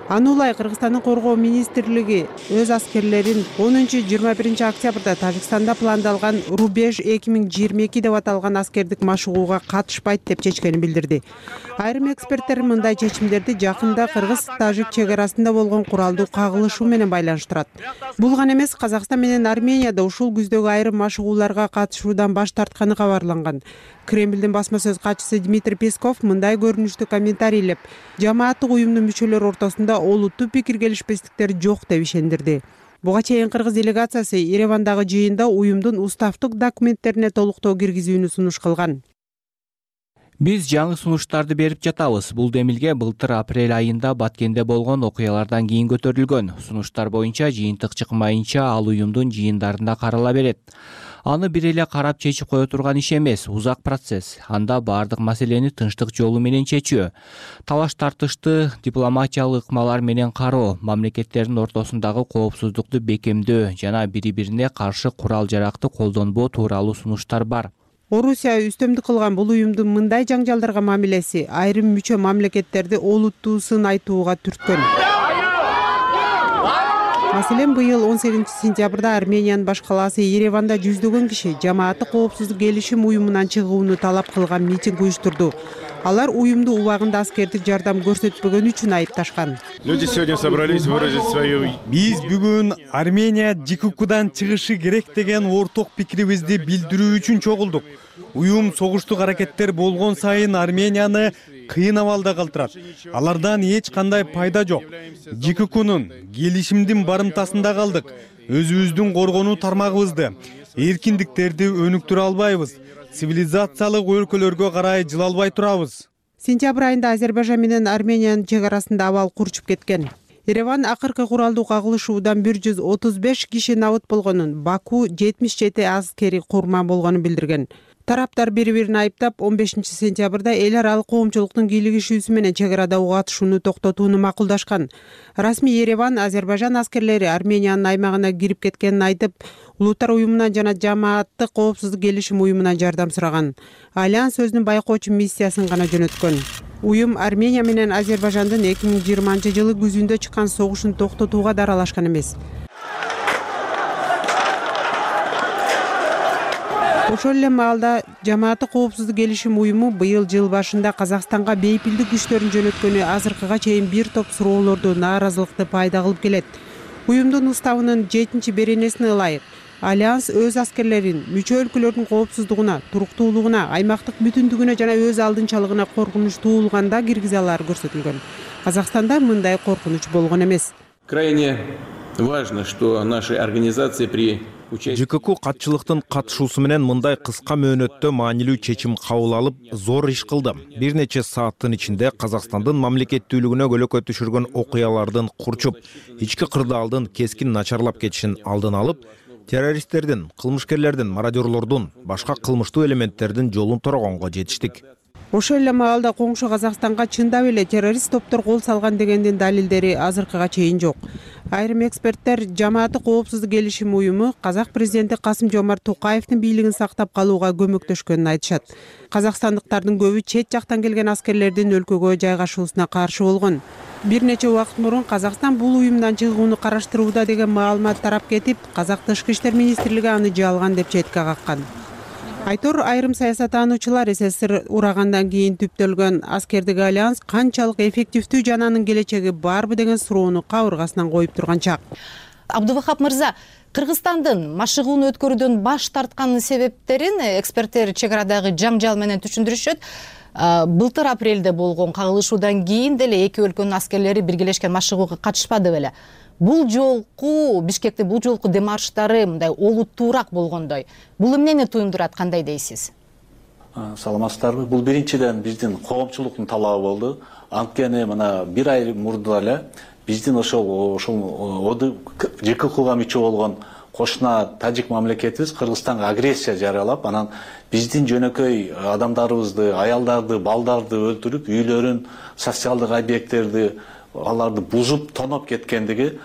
Аны улай Кыргызстандын коргоо министрлиги өз аскерлерин 10-21 октябрда Тажикстанда пландалган Рубеж 2022 деп аталган аскердик машыгууга катышпайт деп чечкенин билдирди. Айрым эксперттер мындай чечимдерди жакында кыргыз-тажик чек арасында болгон куралдуу кагылышуу менен байланыштырат. Бул гана эмес, Казакстан менен Арменияда ушул күздөгү айрым машыгууларга катышуудан баш тартканы кабарланган. Кремлдин басма сөз катчысы Дмитрий Песков мындай көрүнүштү комментарийлеп, жамааттык уюмдун мүчөлөрү ортосунда олуттуу пикир келишпестиктер жок деп ишендирди. Буга чейин кыргыз делегациясы Еревандагы жыйында уюмдун уставдык документтерине толуктоо киргизүүнү сунуш кылган. Биз жаңы сунуштарды берип жатабыз. Бул демилге былтыр апрель айында Баткенде болгон окуялардан кийин көтөрүлгөн. Сунуштар боюнча жыйынтык чыкмайынча ал уюмдун жыйындарында карала берет. Аны бир эле карап чечип кое турган иш эмес, узак процесс. Анда баардык маселени тынчтык жолу менен чечүү, талаш тартышты дипломатиялык ыкмалар менен кароо, мамлекеттердин ортосундагы коопсуздукту бекемдөө жана бири-бирине каршы курал-жаракты колдонбоо тууралуу сунуштар бар. Орусия үстөмдүк кылган бул уюмдун мындай жаңжалдарга мамилеси айрым мүчө мамлекеттерди олуттуусун айтууга түрткөн. Маселен, быйыл 18 сентябрда Армениянын баш калаасы Ереванда жүздөгөн киши жамааттык коопсуздук келишим уюмунан чыгууну талап кылган митинг уюштурду. Алар уюмду убагында аскердик жардам көрсөтпөгөн үчүн айыпташкан. Люди сегодня собрались выразить свою. Биз бүгүн Армения ЖККУдан чыгышы керек деген орток пикирибизди билдирүү үчүн чогулдук. Уюм согуштук аракеттер болгон сайын Арменияны кыйын абалда калтырат. Алардан эч кандай пайда жок. ЖККУнун келишимдин барымтасында калдык. Өзүбүздүн коргонуу тармагыбызды, эркиндиктерди өнүктүрө албайбыз. Цивилизациялык өлкөлөргө карай жылалбай турабыз. Сентябрь айында Азербайжан менен Армениянын чек арасында абал курчуп кеткен. Ереван акыркы куралдуу кагылышуудан 135 киши набыт болгонун, Баку 77 аскери курман болгонун билдирген. Тараптар бири-бирин айыптап 15-сентябрда эл аралык коомчулуктун кийлигишүүсү менен чек арада ок атышууну токтотууну макулдашкан. Расмий Ереван Азербайжан аскерлери Армениянын аймагына кирип кеткенин айтып, Улуттар уюмунан жана Жамааттык коопсуздук келишим уюмунан жардам сураган. Альянс өзүнүн байкоочу миссиясын гана жөнөткөн. Уюм Армения менен Азербайжандын 2020-жылы күзүндө чыккан согушун токтотууга да аралашкан эмес. Ошол эле маалда Жамааттык коопсуздук келишим уюму быйыл жыл башында Казакстанга бейпилдик күчтөрүн жөнөткөнү азыркыга чейин бир топ суроолорду, нааразылыкты пайда кылып келет. Уюмдун уставынын 7-беренесине ылайык Альянс өз аскерлерин мүчө өлкөлөрдүн коопсуздугуна, туруктуулугуна, аймактык бүтүндүгүнө жана өз алдынчалыгына коркунуч туулганда киргизе алары көрсөтүлгөн. Казакстанда мындай коркунуч болгон эмес. Крайне важно, что наши организации при ЖКК катчылыктын катышуусу менен мындай кыска мөөнөттө маанилүү чечим кабыл алып, зор иш кылды. Бир нече сааттын ичинде Казакстандын мамлекеттүүлүгүнө көлөкө түшүргөн окуялардын курчуп, ички кырдаалдын кескин начарлап кетишин алдын алып, террористтердин, кылмышкерлердин, мародёрлордун, башка кылмыштуу элементтердин жолун торогонго жетиштик. Ошол эле маалда коңшу Казакстанга чындап эле террорист топтор кол салган дегендин далилдери азыркыга чейин жок. Айрым эксперттер Жамааттык коопсуздук келишим уюму Казак президенти Касым-Жомарт Токаевдин бийлигин сактап калууга көмөктөшкөнүн айтышат. Казакстандыктардын көбү чет жактан келген аскерлердин өлкөгө жайгашуусуна каршы болгон. Бир нече убакыт мурун Казакстан бул уюмдан чыгууну караштырууда деген маалымат тарап кетип, Казак Тышкы иштер министрлиги аны жалган деп четке каккан. Айтор айрым саясаттануучулар СССР урагандан кийин түптөлгөн аскердик альянс канчалык эффективдүү жана анын келечеги барбы деген суроону кабыргасынан коюп турган чак. Абдувахап мырза, Кыргызстандын машыгууну өткөрүүдөн баш тарткан себептерин эксперттер чек арадагы жаңжал менен түшүндүрүшөт. Былтыр апрелде болгон кагылышуудан кийин деле эки өлкөнүн аскерлери биргелешкен машыгууга катышпады беле. Бул жолку Бишкектин бул жолку демарштары мындай олуттуураак болгондой. Бул эмнени туюндурат, кандай дейсиз? Саламатсыздарбы? Бул биринчиден биздин коомчулуктун талабы болду. Анткени мына бир ай мурда эле биздин ошол ЖКХга мүчө болгон кошуна тажик мамлекетибиз Кыргызстанга агрессия жарыялап, анан биздин жөнөкөй адамдарыбызды, аялдарды, балдарды өлтүрүп, үйлөрүн, социалдык объекттерди аларды бузуп, тоноп кеткендиги,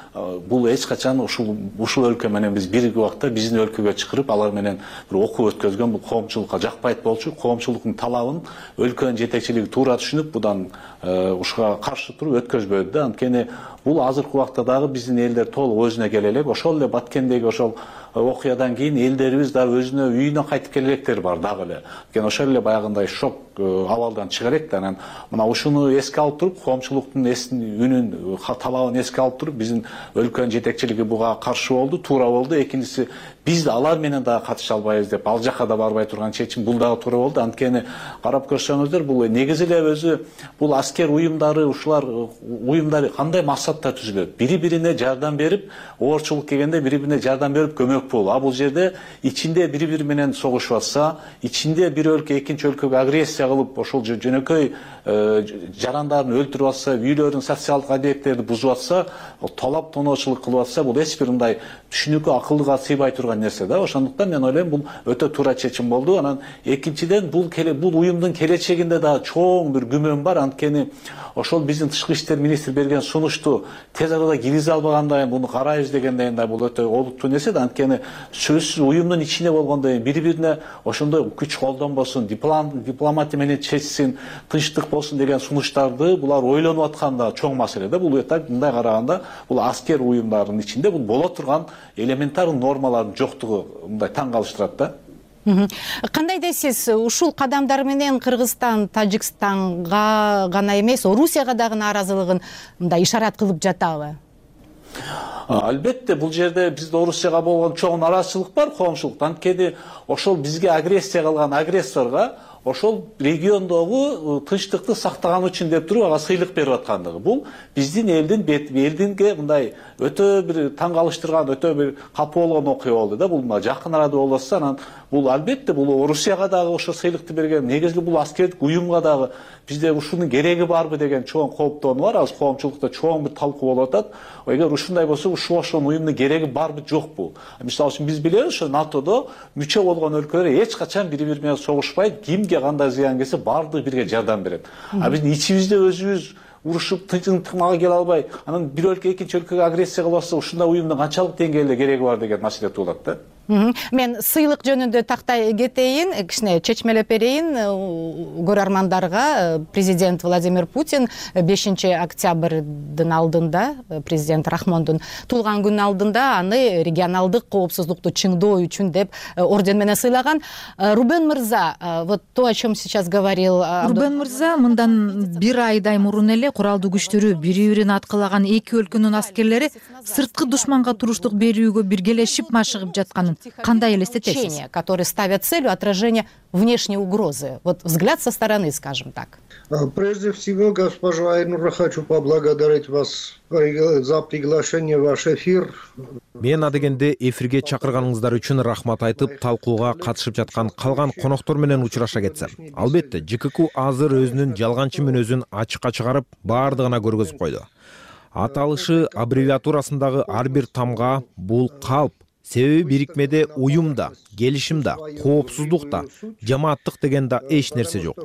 бул эч качан ушул өлкө менен биз бирги убакта биздин өлкөгө чакырып, алар менен бир окуу өткөзгөн, бул коомчулукка жакпайт болчу. Коомчулуктун талабын өлкөнүн жетекчилиги туура түшүнүп, будан ушуга каршы туруп өткөзбөдү да. Анткени бул азыркы убакта дагы биздин элдер толук өзүнө келе элек. Ошол эле Баткендеги ошол окуядан кийин элдерибиз дагы өзүнө үйүнө кайтып келе электер бар дагы эле. Анткени ошол эле баягындай шок абалдан чыга элек да. Анан мына ушуну эске алып туруп, коомчулуктун үнүн, талабын эске алып туруп, биздин өлкөнүн жетекчилиги буга каршы болду, туура болду. Экинчиси, биз алар менен дагы катыша албайбыз деп, ал жака да барбай турган чечим бул дагы туура болду. Анткени карап көрсөңүздөр, бул негизи эле өзү бул аскер уюмдары, ушулар уюмдары кандай максатта түзүлөт? Бири-бирине жардам берип, оорчулук келгенде бири-бирине жардам берип көмөк болуу. А бул жерде ичинде бири-бири менен согушуп атса, ичинде бир өлкө экинчи өлкөгө агрессия кылып, ошол жөнөкөй жарандарын өлтүрүп атса, үйлөрүн, социалдык объекттерди бузуп атса, талап тоноочулук кылып атса, бул эч бир мындай түшүнүккө, акылга сыйбай турган нерсе да. Ошондуктан мен ойлойм, бул өтө туура чечим болду. Анан экинчиден, бул уюмдун келечегинде да чоң бир күмөн бар. Анткени ошол биздин тышкы иштер министри берген сунушту тез арада киргизе албагандай, буну карайбыз дегенден да бул өтө олуттуу нерсе да. Анткени сөзсүз уюмдун ичинде болгондой бири-бирине ошондой күч колдонбосун, дипломатия менен чечсин, тынчтык болсун деген сунуштарды булар ойлонуп атканда чоң маселе да. Бул мындай караганда, бул аскер уюмдарынын ичинде бул боло турган элементар нормалардын жоктугу мындай таң калыштырат да. Кандай дейсиз, ушул кадамдар менен Кыргызстан Тажикстанга гана эмес, Орусияга дагы нааразылыгын мындай ишарат кылып жатабы? Албетте, бул жерде бизде Орусияга болгон чоң нааразычылык бар, коомчулук. Анткени ошол бизге агрессия кылган агрессорго ошол региондогу тынчтыкты сактаган үчүн деп туруп ага сыйлык берип аткандыгы. Бул биздин элдинге мындай өтө бир таң калыштырган, өтө бир капа болгон окуя болду да. Бул жакын арада болуп атса, анан бул албетте бул Орусияга дагы ошо сыйлыкты берген, негизги бул аскердик уюмга дагы бизде ушунун кереги барбы деген чоң кооптонуу бар. Азыр коомчулукта чоң бир талкуу болуп атат. Эгер ушундай болсо, ошол уюмдун кереги барбы жокпу? Мисалы үчүн биз билебиз, ошо НАТОдо мүчө болгон өлкөлөр эч качан бири-бири менен согушпайт, кимге кандай зыян келсе баардыгы бирге жардам берет. А биздин ичибизде өзүбүз урушуп тынчтыкмага келе албай, анан бир өлкө экинчи өлкөгө агрессия кылып атса, ушундай уюмдун канчалык деңгээлде кереги бар деген маселе туулат да. Мен сыйлык жөнүндө тактай кетейин, кичине чечмелеп берейин көрөрмандарга. Президент Владимир Путин 5 октябрдын алдында, президент Рахмондун туулган күнүнүн алдында аны регионалдык коопсуздукту чыңдоо үчүн деп орден менен сыйлаган. Рубен мырза, вот то, о чем сейчас говорил Рубен мырза, мындан бир айдай мурун эле куралдуу күчтөрү бири-бирин аткылаган эки өлкөнүн аскерлери сырткы душманга туруштук берүүгө биргелешип машыгып жатканын кандай элестетесиз? Которые ставят целью отражения внешней угрозы. Вот взгляд со стороны, скажем так. Прежде всего, госпожа Айнура, хочу поблагодарить вас за приглашение в ваш эфир. Мен адегенде эфирге чакырганыңыздар үчүн рахмат айтып, талкууга катышып жаткан калган коноктор менен учураша кетсем. Албетте, ЖКК азыр өзүнүн жалганчы мүнөзүн ачыкка чыгарып, баардыгына көргөзүп койду. Аталышы аббревиатурасындагы ар бир тамга бул калп. Себеби бирикмеде уюмда, келишимде, коопсуздукта, жамааттык деген да эч нерсе жок.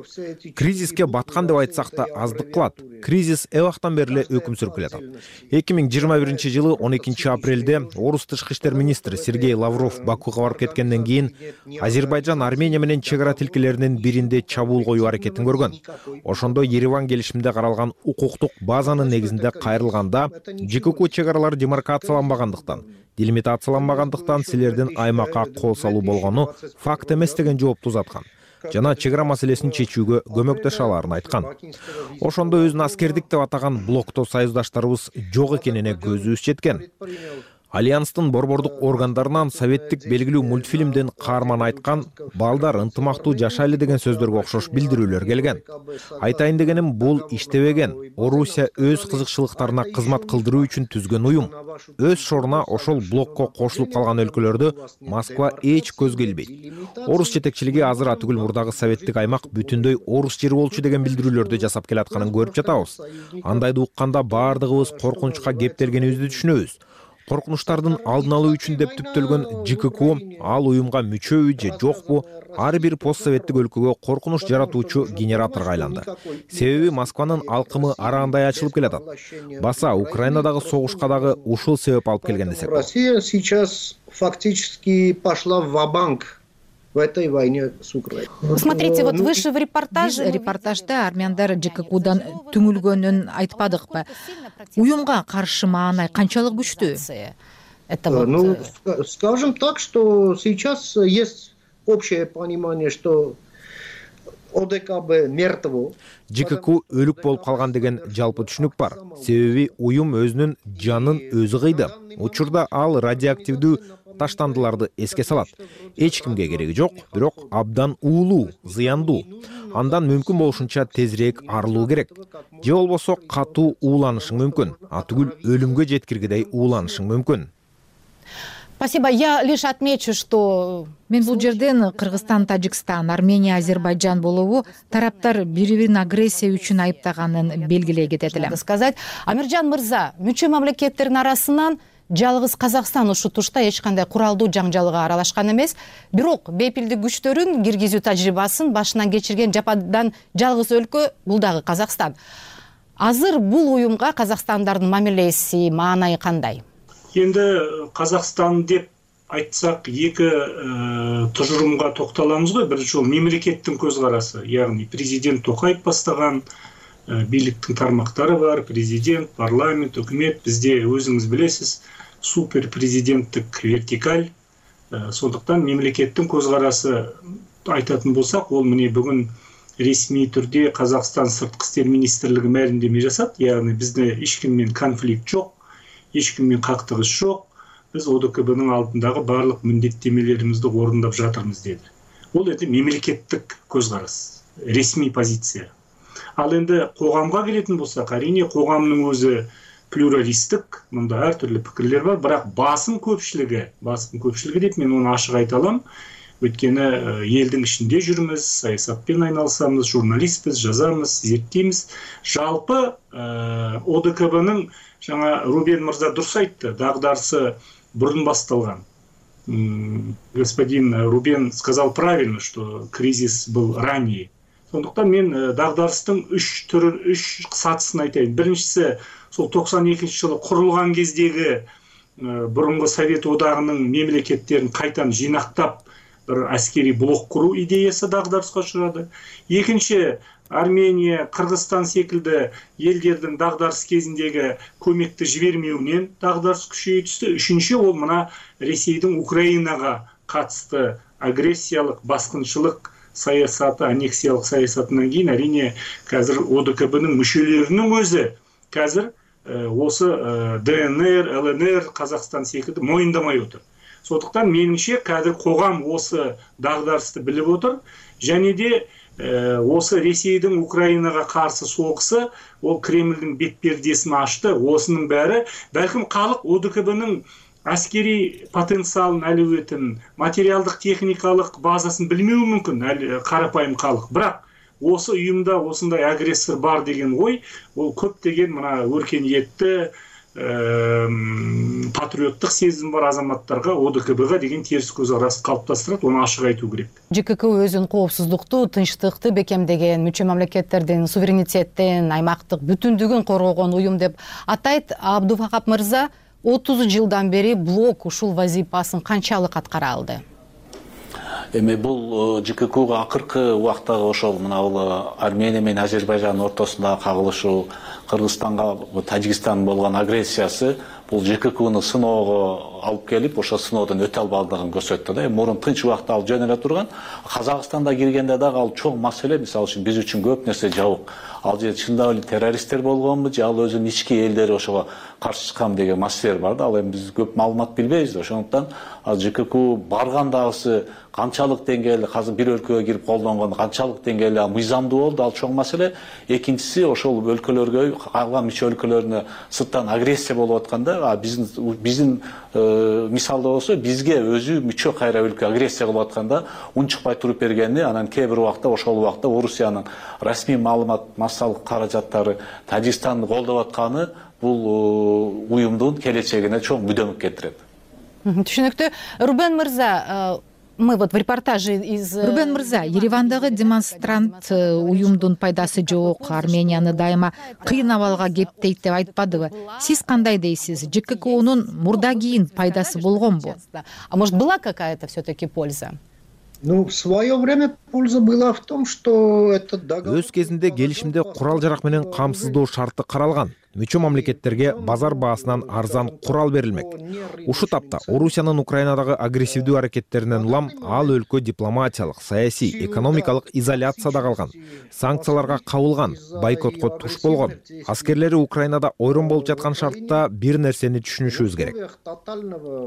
Кризиске баткан деп айтсак да аздык кылат. Кризис эбактан бери эле өкүм сүрүп келатат. 2021-жылы 12 апрелде Орус тышкы иштер министри Сергей Лавров Бакуга барып кеткенден кийин Азербайжан Армения менен чек ара тилкелеринин биринде чабуул коюу аракетин көргөн. Ошондо Ереван келишиминде каралган укуктук базанын негизинде кайрылганда ЖКК чек аралары демаркацияланбагандыктан, делимитацияланбагандыктан силердин аймакка кол салуу болгону факт эмес деген жоопту узаткан жана чек ара маселесин чечүүгө көмөктөшө аларын айткан. Ошондо өзүн аскердик деп атаган блокто союздаштарыбыз жок экенине көзүбүз жеткен. Альянстын борбордук органдарынан советтик белгилүү мультфильмден каарман айткан балдар ынтымактуу жашайлы деген сөздөргө окшош билдирүүлөр келген. Айтайын дегеним, бул иштебеген. Орусия өз кызыкчылыктарына кызмат кылдыруу үчүн түзгөн уюм. Өз шоруна ошол блокко кошулуп калган өлкөлөрдө Москва эч көзгө илбейт. Орус жетекчилиги азыр атүгүл мурдагы советтик аймак бүтүндөй орус жери болчу деген билдирүүлөрдү жасап келатканын көрүп жатабыз. Андайды укканда баардыгыбыз коркунучка кептелгенибизди түшүнөбүз. Коркунучтардын алдын алуу үчүн деп түптөлгөн ЖКК ал уюмга мүчөбү же жокпу ар бир постсоветтик өлкөгө коркунуч жаратуучу генераторго айланды. Себеби Москванын алкымы арандай ачылып келатат. Баса Украинадагы согушка дагы ушул себеп алып келген десек. Россия сейчас фактически пошла ва-банк в этой войне с Украиной. Смотрите, вот вы же в репортажда армяндар ЖККдан түңүлгөнүн айтпадыкпы? Уюмга каршы маанай канчалык күчтүү? Ну, скажем так, что сейчас есть общее понимание, что ОДКБ мертво. ЖКК өлүк болуп калган деген жалпы түшүнүк бар. Себеби уюм өзүнүн жанын өзү кыйды. Учурда ал радиоактивдүү таштандыларды эске салат. Эч кимге кереги жок, бирок абдан уулуу, зыяндуу. Андан мүмкүн болушунча тезирээк арылуу керек. Же болбосо катуу ууланышың мүмкүн, атүгүл өлүмгө жеткиргидей ууланышың мүмкүн. Спасибо. Я лишь отмечу, что мен бул жерден Кыргызстан, Тажикстан, Армения, Азербайджан болобу тараптар бири-бирин агрессия үчүн айыптаганын белгилей кетет элем. Сказать, Амиржан мырза, мүчө мамлекеттердин арасынан жалгыз Казакстан ушу тушта эч кандай куралдуу жаңжалга аралашкан эмес. Бирок бепилдик күчтөрүн киргизүү тажрыйбасын башынан кечирген жападан жалгыз өлкө бул дагы Казакстан. Азыр бул уюмга казакстандардын мамилеси, маанайы кандай? Енді Қазақстан деп айтсақ, екі тұжырымға тоқталамыз ғой. Бірінші ол мемлекеттің көзқарасы, яғни президент Тоқаев бастаған биліктің тармақтары бар, президент, парламент, үкімет. Бізде өзіңіз білесіз, супер президенттік вертикаль. Сондықтан мемлекеттің көзқарасы айтатын болсақ, ол міне бүгін ресми түрде Қазақстан сыртқы істер министрлігі мәлімдеме жасады. Яғни бізде ешкіммен конфликт жоқ. Ешкіммен қақтығыс жоқ, біз ОДКБ-нің алдындағы барлық міндеттемелерімізді орындап жатырмыз деді. Ол енді мемлекеттік көзқарас, ресми позиция. Ал енді қоғамға келетін болсақ, әрине қоғамның өзі плюралистік, мұнда әртүрлі пікірлер бар, бірақ басым көпшілігі деп мен оны ашық айта аламын, Өйткені елдің ішінде жүрміз, саясатпен айналысамыз, журналистпіз, жазамыз, зерттейміз. Жалпы ОДКБ-ның жаңа Рубен мырза дұрыс айтты, дағдарысы бұрын басталған. Господин Рубен сказал правильно, что кризис был ранее. Сондықтан мен дағдарыстың үш сатысын айтайын. Біріншісі, сол 92 жылы құрылған кездегі бұрынғы Совет одағының мемлекеттерін қайтан жинақтап бір әскери блок құру идеясы дағдарысқа ұшырады. Екінші, Армения, Қырғызстан секілді елдердің дағдарыс кезіндегі көмекті жібермеуінен дағдарыс күшейе түсті. Үшінші, ол мына Ресейдің Украинаға қатысты агрессиялық, басқыншылық саясаты, аннексиялық саясатынан кейін әрине қазір ОДКБ-ның мүшелерінің өзі қазір осы ДНР, ЛНР, Қазақстан секілді мойындамай отыр. Сондықтан меніңше қазір қоғам осы дағдарысты біліп отыр, және де осы Ресейдің Украинаға қарсы соғысы ол Кремльдің бетпердесін ашты. Осының бәрі бәлкім халық ОДКБ-ның әскери потенциалын, әлеуетін, материалдық техникалық базасын білмеуі мүмкін қарапайым халық. Бірақ осы ұйымда осындай агрессор бар деген ой, ол көптеген мына өркениетті патриоттық сезім бар азаматтарға ОДКБ-ға деген теріс көзқарас қалыптастырады, оны ашық айту керек. ЖКК өзүн коопсуздукту, тынчтыкты бекемдеген, мүчө мамлекеттердин суверенитеттин, аймактык бүтүндүгүн коргогон уюм деп атайт. Абдувахап мырза 30 жылдан бери блок ушул вазифасын канчалык аткара алды? Эми бул ЖККга акыркы убактагы ошол мына Армения менен Азербайжандын ортосундагы кагылышуу, Кыргызстанга Тажикстан болгон агрессиясы бул ЖККны сыноого алып келип, ошо сыноодон өтө албадыгын көрсөттү да. Мурун тынч убакта ал жөн эле турган. Казакстанда киргенде дагы ал чоң маселе, мисалы үчүн биз үчүн көп нерсе жабык. Ал же чындап эле террористтер болгонбу, же ал өзүнүн ички элдери ошого каршы чыккан деген маселелер бар да. Ал эми биз көп маалымат билбейбиз да. Ошондуктан ал ЖКК баргандагысы канчалык деңгээлде азыр бир өлкөгө кирип колдонгон, канчалык деңгээлде мыйзамдуу болду, ал чоң маселе. Экинчиси, ошол өлкөлөргө, калган мүчө өлкөлөрүнө сырттан агрессия болуп атканда, биздин мисалда болсо бизге өзү мүчө кайра өлкө агрессия кылып атканда унчукпай туруп бергени, анан кээ бир убакта ошол убакта Орусиянын расмий маалымат массалык каражаттары Тажикстанды колдоп атканы бул уюмдун келечегине чоң мүдөмүк келтирет. Түшүнүктүү. Рубен мырза, мы вот в репортаже из... Рубен мырза, Еревандагы демонстрант уюмдун пайдасы жок, Арменияны дайыма кыйын абалга кептейт деп айтпадыбы? Сиз кандай дейсиз? ЖККнун мурда кийин пайдасы болгонбу? А может, была какая-то все-таки польза? Ну, в свое время польза была в том, что это договор... Өз кезинде келишимде курал-жарак менен камсыздоо шарты каралган. Мүчө мамлекеттерге базар баасынан арзан курал берилмек. Ушу тапта Орусиянын Украинадагы агрессивдүү аракеттеринен улам ал өлкө дипломатиялык, саясий, экономикалык изоляцияда калган, санкцияларга кабылган, бойкотко туш болгон. Аскерлери Украинада ойрон болуп жаткан шартта бир нерсени түшүнүшүбүз керек.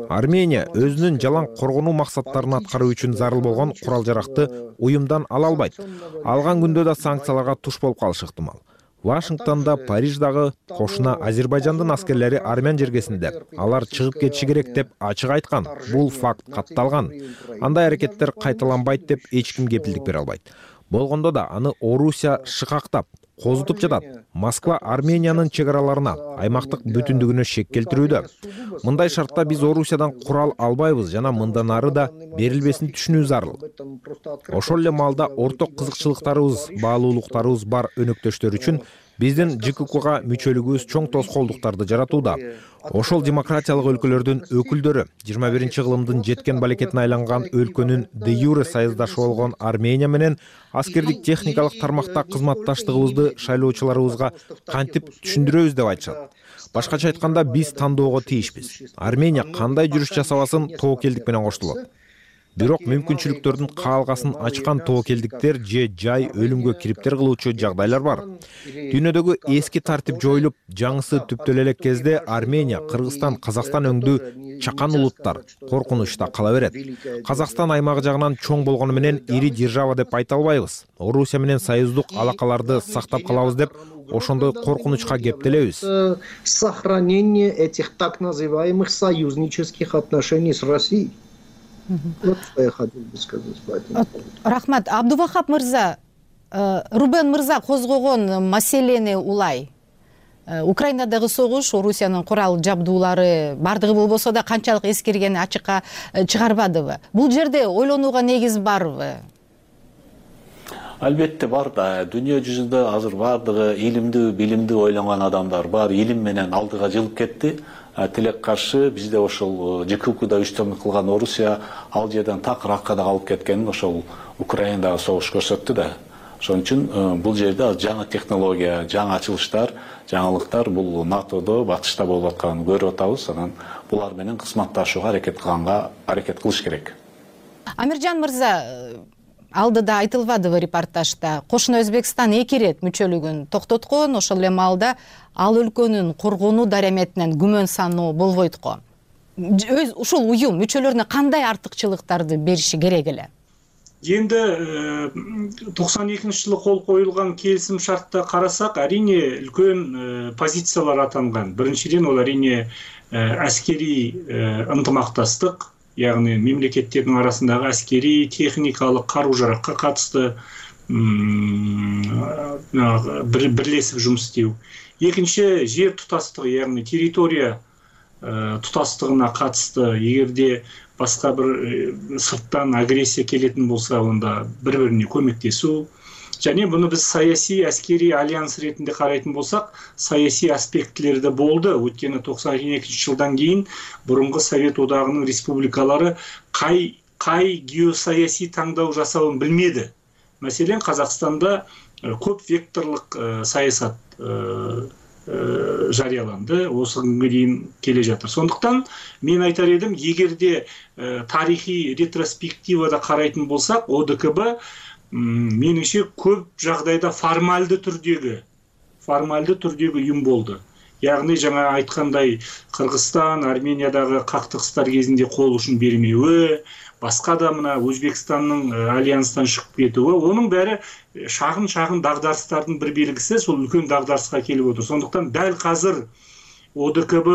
Армения өзүнүн жалаң коргонуу максаттарын аткаруу үчүн зарыл болгон курал-жаракты уюмдан ала албайт. Алган күндө да санкцияларга туш болуп калышы ыктымал. Вашингтонда, Париждагы кошуна Азербайжандын аскерлери армян жергесинде. Алар чыгып кетиши керек деп ачык айткан. Бул факт катталган. Андай аракеттер кайталанбайт деп эч ким кепилдик бере албайт. Болгондо да аны Орусия шыкактап, козутуп жатат. Москва Армениянын чек араларына, аймактык бүтүндүгүнө шек келтирүүдө. Мындай шартта биз Орусиядан курал албайбыз жана мындан ары да берилбесин түшүнүү зарыл. Ошол эле маалда орток кызыкчылыктарыбыз, баалуулуктарыбыз бар өнөктөштөр үчүн биздин ЖККга мүчөлүгүбүз чоң тоскоолдуктарды жаратууда. Ошол демократиялык өлкөлөрдүн өкүлдөрү 21-кылымдын жеткен балекетине айланган өлкөнүн де юре союздашы болгон Армения менен аскердик техникалык тармакта кызматташтыгыбызды шайлоочуларыбызга кантип түшүндүрөбүз деп айтышат. Башкача айтканда биз тандоого тийишпиз. Армения кандай жүрүш жасабасын тобокелдик менен коштолот. Бирок мүмкүнчүлүктөрдүн каалгасын ачкан тобокелдиктер же жай өлүмгө кириптер кылуучу жагдайлар бар. Дүйнөдөгү эски тартип жоюлуп, жаңысы түптөлө элек кезде Армения, Кыргызстан, Казакстан өңдүү чакан улуттар коркунучта кала берет. Казакстан аймагы жагынан чоң болгону менен ири держава деп айта албайбыз. Орусия менен союздук алакаларды сактап калабыз деп ошондой коркунучка кептелебиз. Сохранение этих так называемых союзнических отношений с Россией. Вот что я хотел бы сказать по этому поводу. Рахмат. Абдувахап мырза, Рубен мырза козгогон маселени улай. Украинадагы согуш, Орусиянын курал жабдуулары бардыгы болбосо да канчалык эскергени ачыкка чыгарбадыбы? Бул жерде ойлонууга негиз барбы? Албетте бар да. Дүйнө жүзүндө азыр бардыгы илимдүү, билимдүү ойлонгон адамдар бар. Илим менен алдыга жылып кетти. Тилек каршы бизде ошол ЖКХда үстөмдүк кылган Орусия ал жерден такыракка да алып кеткенин ошол Украинадагы согуш көрсөттү да. Ошон үчүн бул жерде жаңы технология, жаңы ачылыштар, жаңылыктар бул НАТОдо, батышта болуп атканын көрүп атабыз. Анан булар менен кызматташууга аракет кылыш керек. Амиржан мырза, алдыда айтылбадыбы репортажда, Кошуна Өзбекстан 2 ирет мүчөлүгүн токтоткон, ошол эле маалда ал өлкөнүн коргонуу дараметинен күмөн саноо болбойт го. Ушул уюм мүчөлөрүнө кандай артыкчылыктарды бериши керек эле? Енді 92 жылы қол қойылған келісім шартта қарасақ, әрине үлкен позициялар атанған. Біріншіден ол әрине әскери ынтымақтастық, яғни мемлекеттердің арасындағы әскери техникалық қару-жараққа қатысты бірлесіп жұмыс істеу. Екінші, жер тұтастығы, яғни территория тұтастығына қатысты, егерде басқа бір сырттан агрессия келетін болса, онда бір-біріне көмектесу. Және бұны біз саяси әскери альянс ретінде қарайтын болсақ, саяси аспектілерді болды. Өткені 92 жылдан кейін бұрынғы Совет одағының республикалары қай геосаяси таңдау жасауын білмеді. Мәселен, Қазақстанда көп векторлық саясат жарияланды, осы күнге дейін келе жатыр. Сондықтан мен айтар едім, егерде тарихи ретроспективада қарайтын болсақ, ОДКБ меніңше көп жағдайда формальды түрдегі ұйым болды. Яғни жаңа айтқандай Қырғызстан, Армениядағы қақтығыстар кезінде қол ұшын бермеуі, басқа да мына Өзбекстанның альянстан шығып кетуі, оның бәрі шағын дағдарыстардың бір белгісі, сол үлкен дағдарысқа келіп отыр. Сондықтан дәл қазір ОДКБ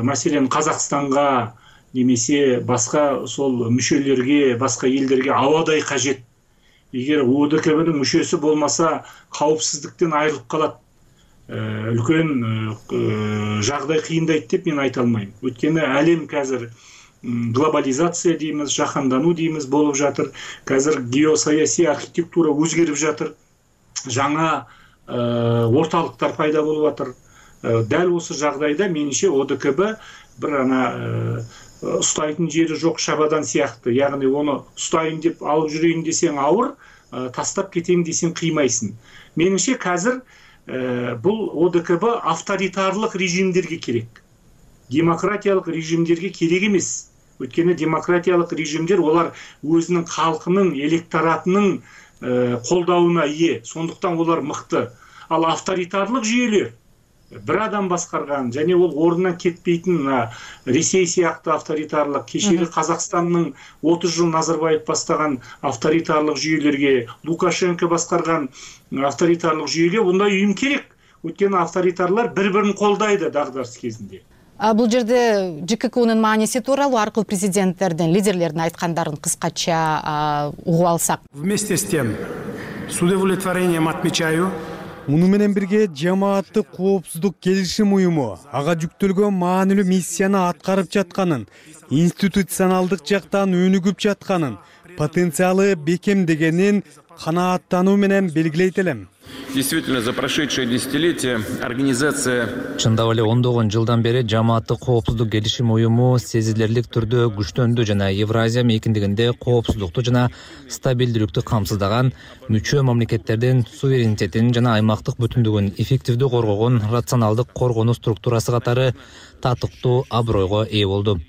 мәселен Қазақстанға немесе басқа сол мүшелерге, басқа елдерге ауадай қажет. Егер ОДКБ-ның мүшесі болмаса, қауіпсіздіктен айырылып қалады. Үлкен жағдай қиындайды деп мен айта алмаймын. Өйткені әлем қазір глобализация дейміз, жаһандану дейміз болып жатыр. Қазір геосаяси архитектура өзгеріп жатыр. Жаңа орталықтар пайда болып жатыр. Дәл осы жағдайда меніңше ОДКБ бір ұстайтын жері жоқ шабадан сияқты. Яғни оны ұстайын деп алып жүрейін десең ауыр, тастап кетейін десең қимайсың. Меніңше қазір бұл ОДКБ авторитарлық режимдерге керек. Демократиялық режимдерге керек емес. Өйткені демократиялық режимдер олар өзінің халқының, электоратының қолдауына ие. Сондықтан олар мықты. Ал авторитарлық жүйелер бір адам басқарған, және ол орнынан кетпейтін Ресей сияқты авторитарлық, кешегі Қазақстанның 30 жыл Назарбаев бастаған авторитарлық жүйелерге, Лукашенко басқарған авторитарлық жүйеге бұндай ұйым керек. Өйткені авторитарлар бір-бірін қолдайды дағдарыс кезінде. Бұл жерде ЖКХ-нын мааниси тууралуу аркылуу президенттердин, лидерлердин айткандарын кыскача угуп алсак. Вместе с тем, с удовлетворением отмечаю, муну менен бирге жамааттык коопсуздук келишим уюму ага жүктөлгөн маанилүү миссияны аткарып жатканын, институционалдык жактан өнүгүп жатканын, потенциалы бекемдегенин канааттануу менен белгилейт элем. Действительно, за прошедшее десятилетие организация... Чындап эле ондогон жылдан бери жамааттык коопсуздук келишим уюму сезилерлик түрдө күчтөндү жана Евразия мейкиндигинде коопсуздукту жана стабилдүүлүктү камсыздаган, мүчө мамлекеттердин суверенитетин жана аймактык бүтүндүгүн эффективдүү коргогон рационалдык коргонуу структурасы катары татыктуу абройго ээ болду.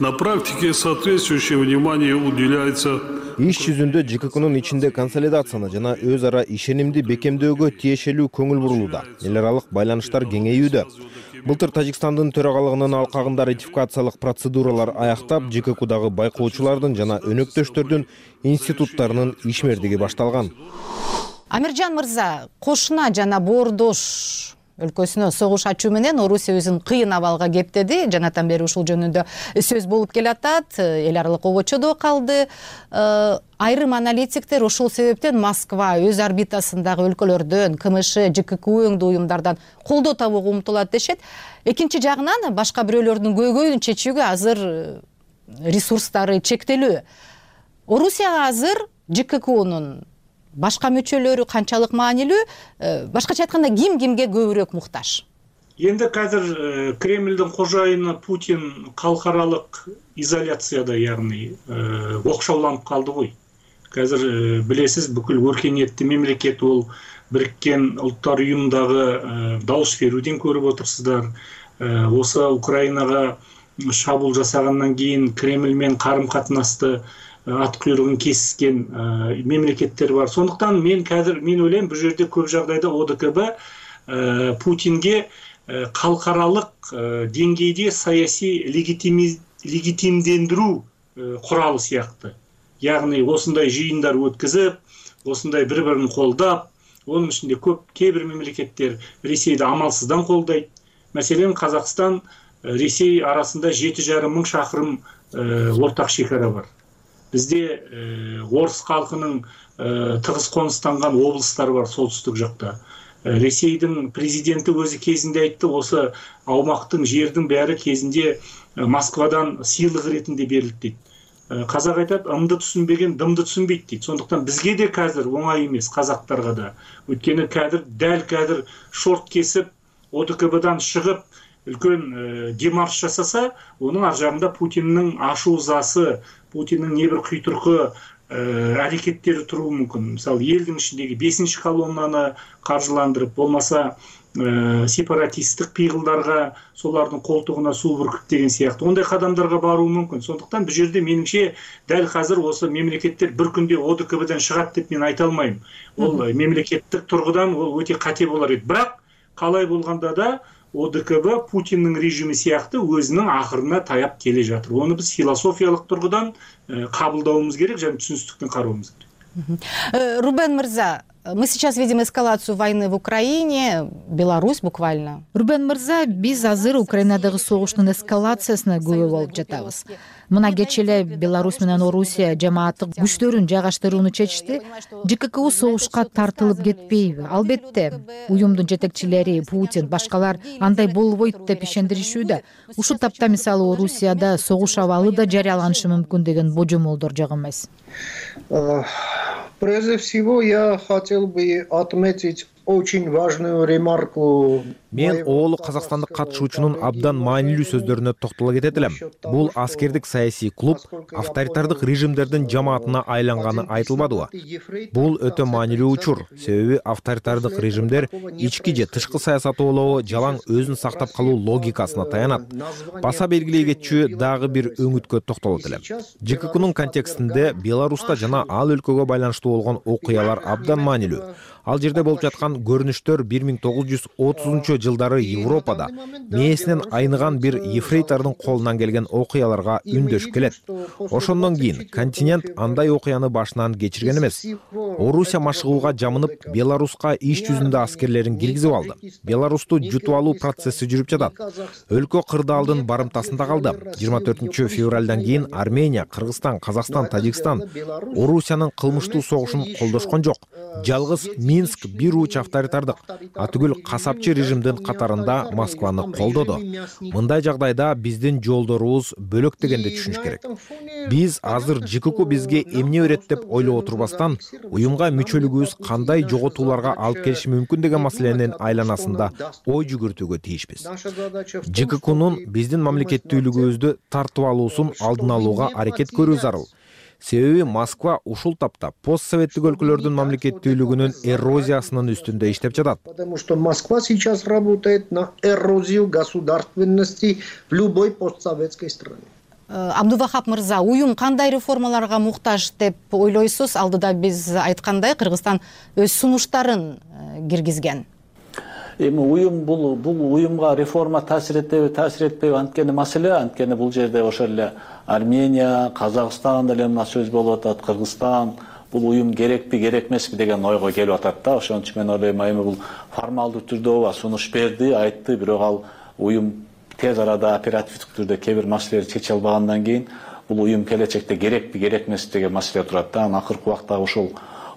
На практике соответствующее внимание уделяется. Иш жүзүндө ЖКХнын ичинде консолидацияны жана өз ара ишенимди бекемдөөгө тиешелүү көңүл бурулууда. Эл аралык байланыштар кеңейүүдө. Былтыр Тажикстандын төрагалыгынын алкагында ратификациялык процедуралар аяктап, ЖКХдагы байкоочулардын жана өнөктөштөрдүн институттарынын ишмердиги башталган. Амиржан мырза, Кошуна жана Боордош өлкөсүнө согуш ачуу менен Орусия өзүн кыйын абалга кептеди. Жанатан бери ушул жөнүндө сөз болуп келатат. Эл аралык обочодо калды. Айрым аналитиктер ушул себептен Москва өз орбитасындагы өлкөлөрдөн, КМШ, ЖККУ өңдүү уюмдардан колдоо табууга умтулат дешет. Экинчи жагынан башка бирөөлөрдүн көйгөйүн чечүүгө азыр ресурстары чектелүү. Орусияга азыр ЖККУнун башка мүчөлөрү канчалык маанилүү? Башкача айтканда ким кимге көбүрөөк муктаж? Енді қазір Кремльдің қожайыны Путин халықаралық изоляцияда, яғни оқшауланып қалды ғой. Қазір білесіз, бүкіл өркениетті мемлекет ол біріккен ұлттар ұйымындағы дауыс беруден көріп отырсыздар. Осы Украинаға шабуыл жасағаннан кейін Кремльмен қарым-қатынасты ат құйрығын кескен мемлекеттер бар. Сондықтан мен ойлаймын, бұл жерде көп жағдайда ОДКБ Путинге халықаралық деңгейде саяси легитимдендіру құралы сияқты. Яғни осындай жиындар өткізіп, осындай бір-бірін қолдап, оның ішінде кейбір мемлекеттер Ресейді амалсыздан қолдайды. Мәселен, Қазақстан, Ресей арасында 7,5 мың шақырым ортақ шекара бар. Бізде орыс халқының тығыз қоныстанған облыстар бар солтүстік жақта. Ресейдің президенті өзі кезінде айтты, осы аумақтың жердің бәрі кезінде Москвадан сыйлық ретінде берілді дейді. Қазақ айтады, ымды түсінбеген дымды түсінбейді дейді. Сондықтан бізге де қазір оңай емес, қазақтарға да. Өйткені дәл қазір шорт кесіп, ОДКБ-дан шығып, үлкен демарш жасаса, оның ар жағында Путиннің ашу ызасы, Путиннің небір құйтырқы әрекеттері тұруы мүмкін. Мысалы, елдің ішіндегі 5-ші колоннаны қаржыландырып, болмаса сепаратистік пиғылдарға, солардың қолтығына су бүркіп деген сияқты. Ондай қадамдарға баруы мүмкін. Сондықтан бұл жерде меніңше дәл қазір осы мемлекеттер бір күнде ОДКБ-дан шығады деп мен айта алмаймын. Ол мемлекеттік тұрғыдан ол өте қате болар еді. Бірақ қалай болғанда да ОДКБ Путиннің режимі сияқты өзінің ақырына таяп келе жатыр. Оны біз философиялық тұрғыдан қабылдауымыз керек, және түсіністікпен қарауымыз керек. Рубен Мырза, мы сейчас видим эскалацию войны в Украине, Беларусь буквально. Рубен Мырза, биз азыр Украинадагы согуштун эскалациясына күбө болуп жатабыз. Мына кечээ эле Беларусь менен Орусия жамааттык күчтөрүн жайгаштырууну чечишти. ЖККУ согушка тартылып кетпейби? Албетте, уюмдун жетекчилери, Путин, башкалар андай болбойт деп ишендиришүүдө. Ушул тапта мисалы Орусияда согуш абалы да жарыяланышы мүмкүн деген божомолдор жок эмес. Прежде всего, я хотел бы отметить очень важную ремарку. Мен оолу казакстандык катышуучунун абдан маанилүү сөздөрүнө токтоло кетет элем. Бул аскердик саясий клуб авторитардык режимдердин жамаатына айланганы айтылбадыбы? Бул өтө маанилүү учур. Себеби авторитардык режимдер ички же тышкы саясаты болобу жалаң өзүн сактап калуу логикасына таянат. Баса белгилей кетчү дагы бир өңүткө токтолот элем. ЖККнун контекстинде Беларуста жана ал өлкөгө байланыштуу болгон окуялар абдан маанилүү. Ал жерде болуп жаткан көрүнүштөр 1930 жылдары Европада мээсинен айныган бир ефрейтордун колунан келген окуяларга үндөшүп келет. Ошондон кийин континент андай окуяны башынан кечирген эмес. Орусия машыгууга жамынып, Беларуска иш жүзүндө аскерлерин киргизип алды. Беларусту жутуп алуу процесси жүрүп жатат. Өлкө кырдаалдын барымтасында калды. 24 февралдан кийин Армения, Кыргызстан, Казакстан, Тажикстан Орусиянын кылмыштуу согушун колдошкон жок. Жалгыз Минск бир уч авторитардык, атүгүл касапчы режимдин катарында Москваны колдоду. Мындай жагдайда биздин жолдорубуз бөлөк дегенди түшүнүш керек. Биз азыр ЖКК бизге эмне өйрөт деп ойлоп отурбастан, уюмга мүчөлүгүбүз кандай жоготууларга алып келиши мүмкүн деген маселенин айланасында ой жүгүртүүгө тийишпиз. ЖККнун биздин мамлекеттүүлүгүбүздү тартып алуусун алдын алууга аракет көрүү зарыл. Себеби Москва ушул тапта постсоветтик өлкөлөрдүн мамлекеттүүлүгүнүн эрозиясынын үстүндө иштеп жатат. Потому что Москва сейчас работает на эрозию государственности в любой постсоветской стране. Абдувахап Мырза, уюм кандай реформаларга муктаж деп ойлойсуз? Алдыда биз айткандай, Кыргызстан өз сунуштарын киргизген. Уюм бул уюмга реформа таасир этпейби анткени маселе, анткени бул жерде ошол эле Армения, Казакстан деле мына сөз болуп атат, Кыргызстан, бул уюм керекпи керек эмеспи деген ойго келип атат да. Ошон үчүн мен ойлойм, эми бул формалдуу түрдө ооба сунуш берди, айтты, бирок ал уюм тез арада оперативдик түрдө кээ бир маселелерди чече албагандан кийин бул уюм келечекте керекпи керек эмеспи деген маселе турат да. Анан акыркы убакта ушул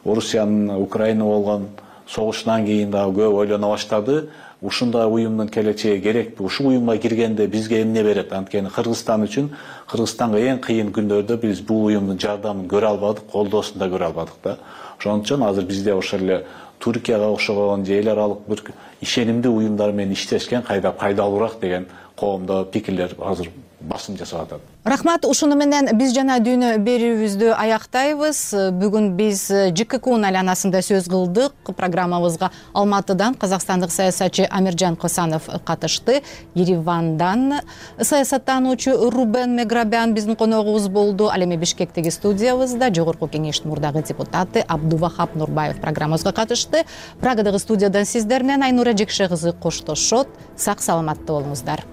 Орусиянын Украина болгон согушунан кийин дагы көп ойлоно баштады. Ушундай уюмдун келечеги керекпи? Ушул уюмга киргенде бизге эмне берет? Анткени Кыргызстан үчүн, Кыргызстанга эң кыйын күндөрдө биз бул уюмдун жардамын көрө албадык, колдоосун да көрө албадык да. Ошон үчүн азыр бизде ошол эле Түркияга окшогон же эл аралык бир ишенимдүү уюмдар менен иштешкен кайда пайдалуураак деген коомдо пикирлер азыр басым жасап атат. Рахмат, ушуну менен биз жана дүйнө берүүбүздү аяктайбыз. Бүгүн биз ЖККнун айланасында сөз кылдык. Программабызга Алматыдан казакстандык саясатчы Амиржан Косанов катышты. Еревандан саясаттануучу Рубен Меграбян биздин коногубуз болду. Ал эми Бишкектеги студиябызда Жогорку Кеңештин мурдагы депутаты Абдувахап Нурбаев программабызга катышты. Прагадагы студиядан сиздер менен Айнура Жекше кызы коштошот. Сак саламатта болуңуздар.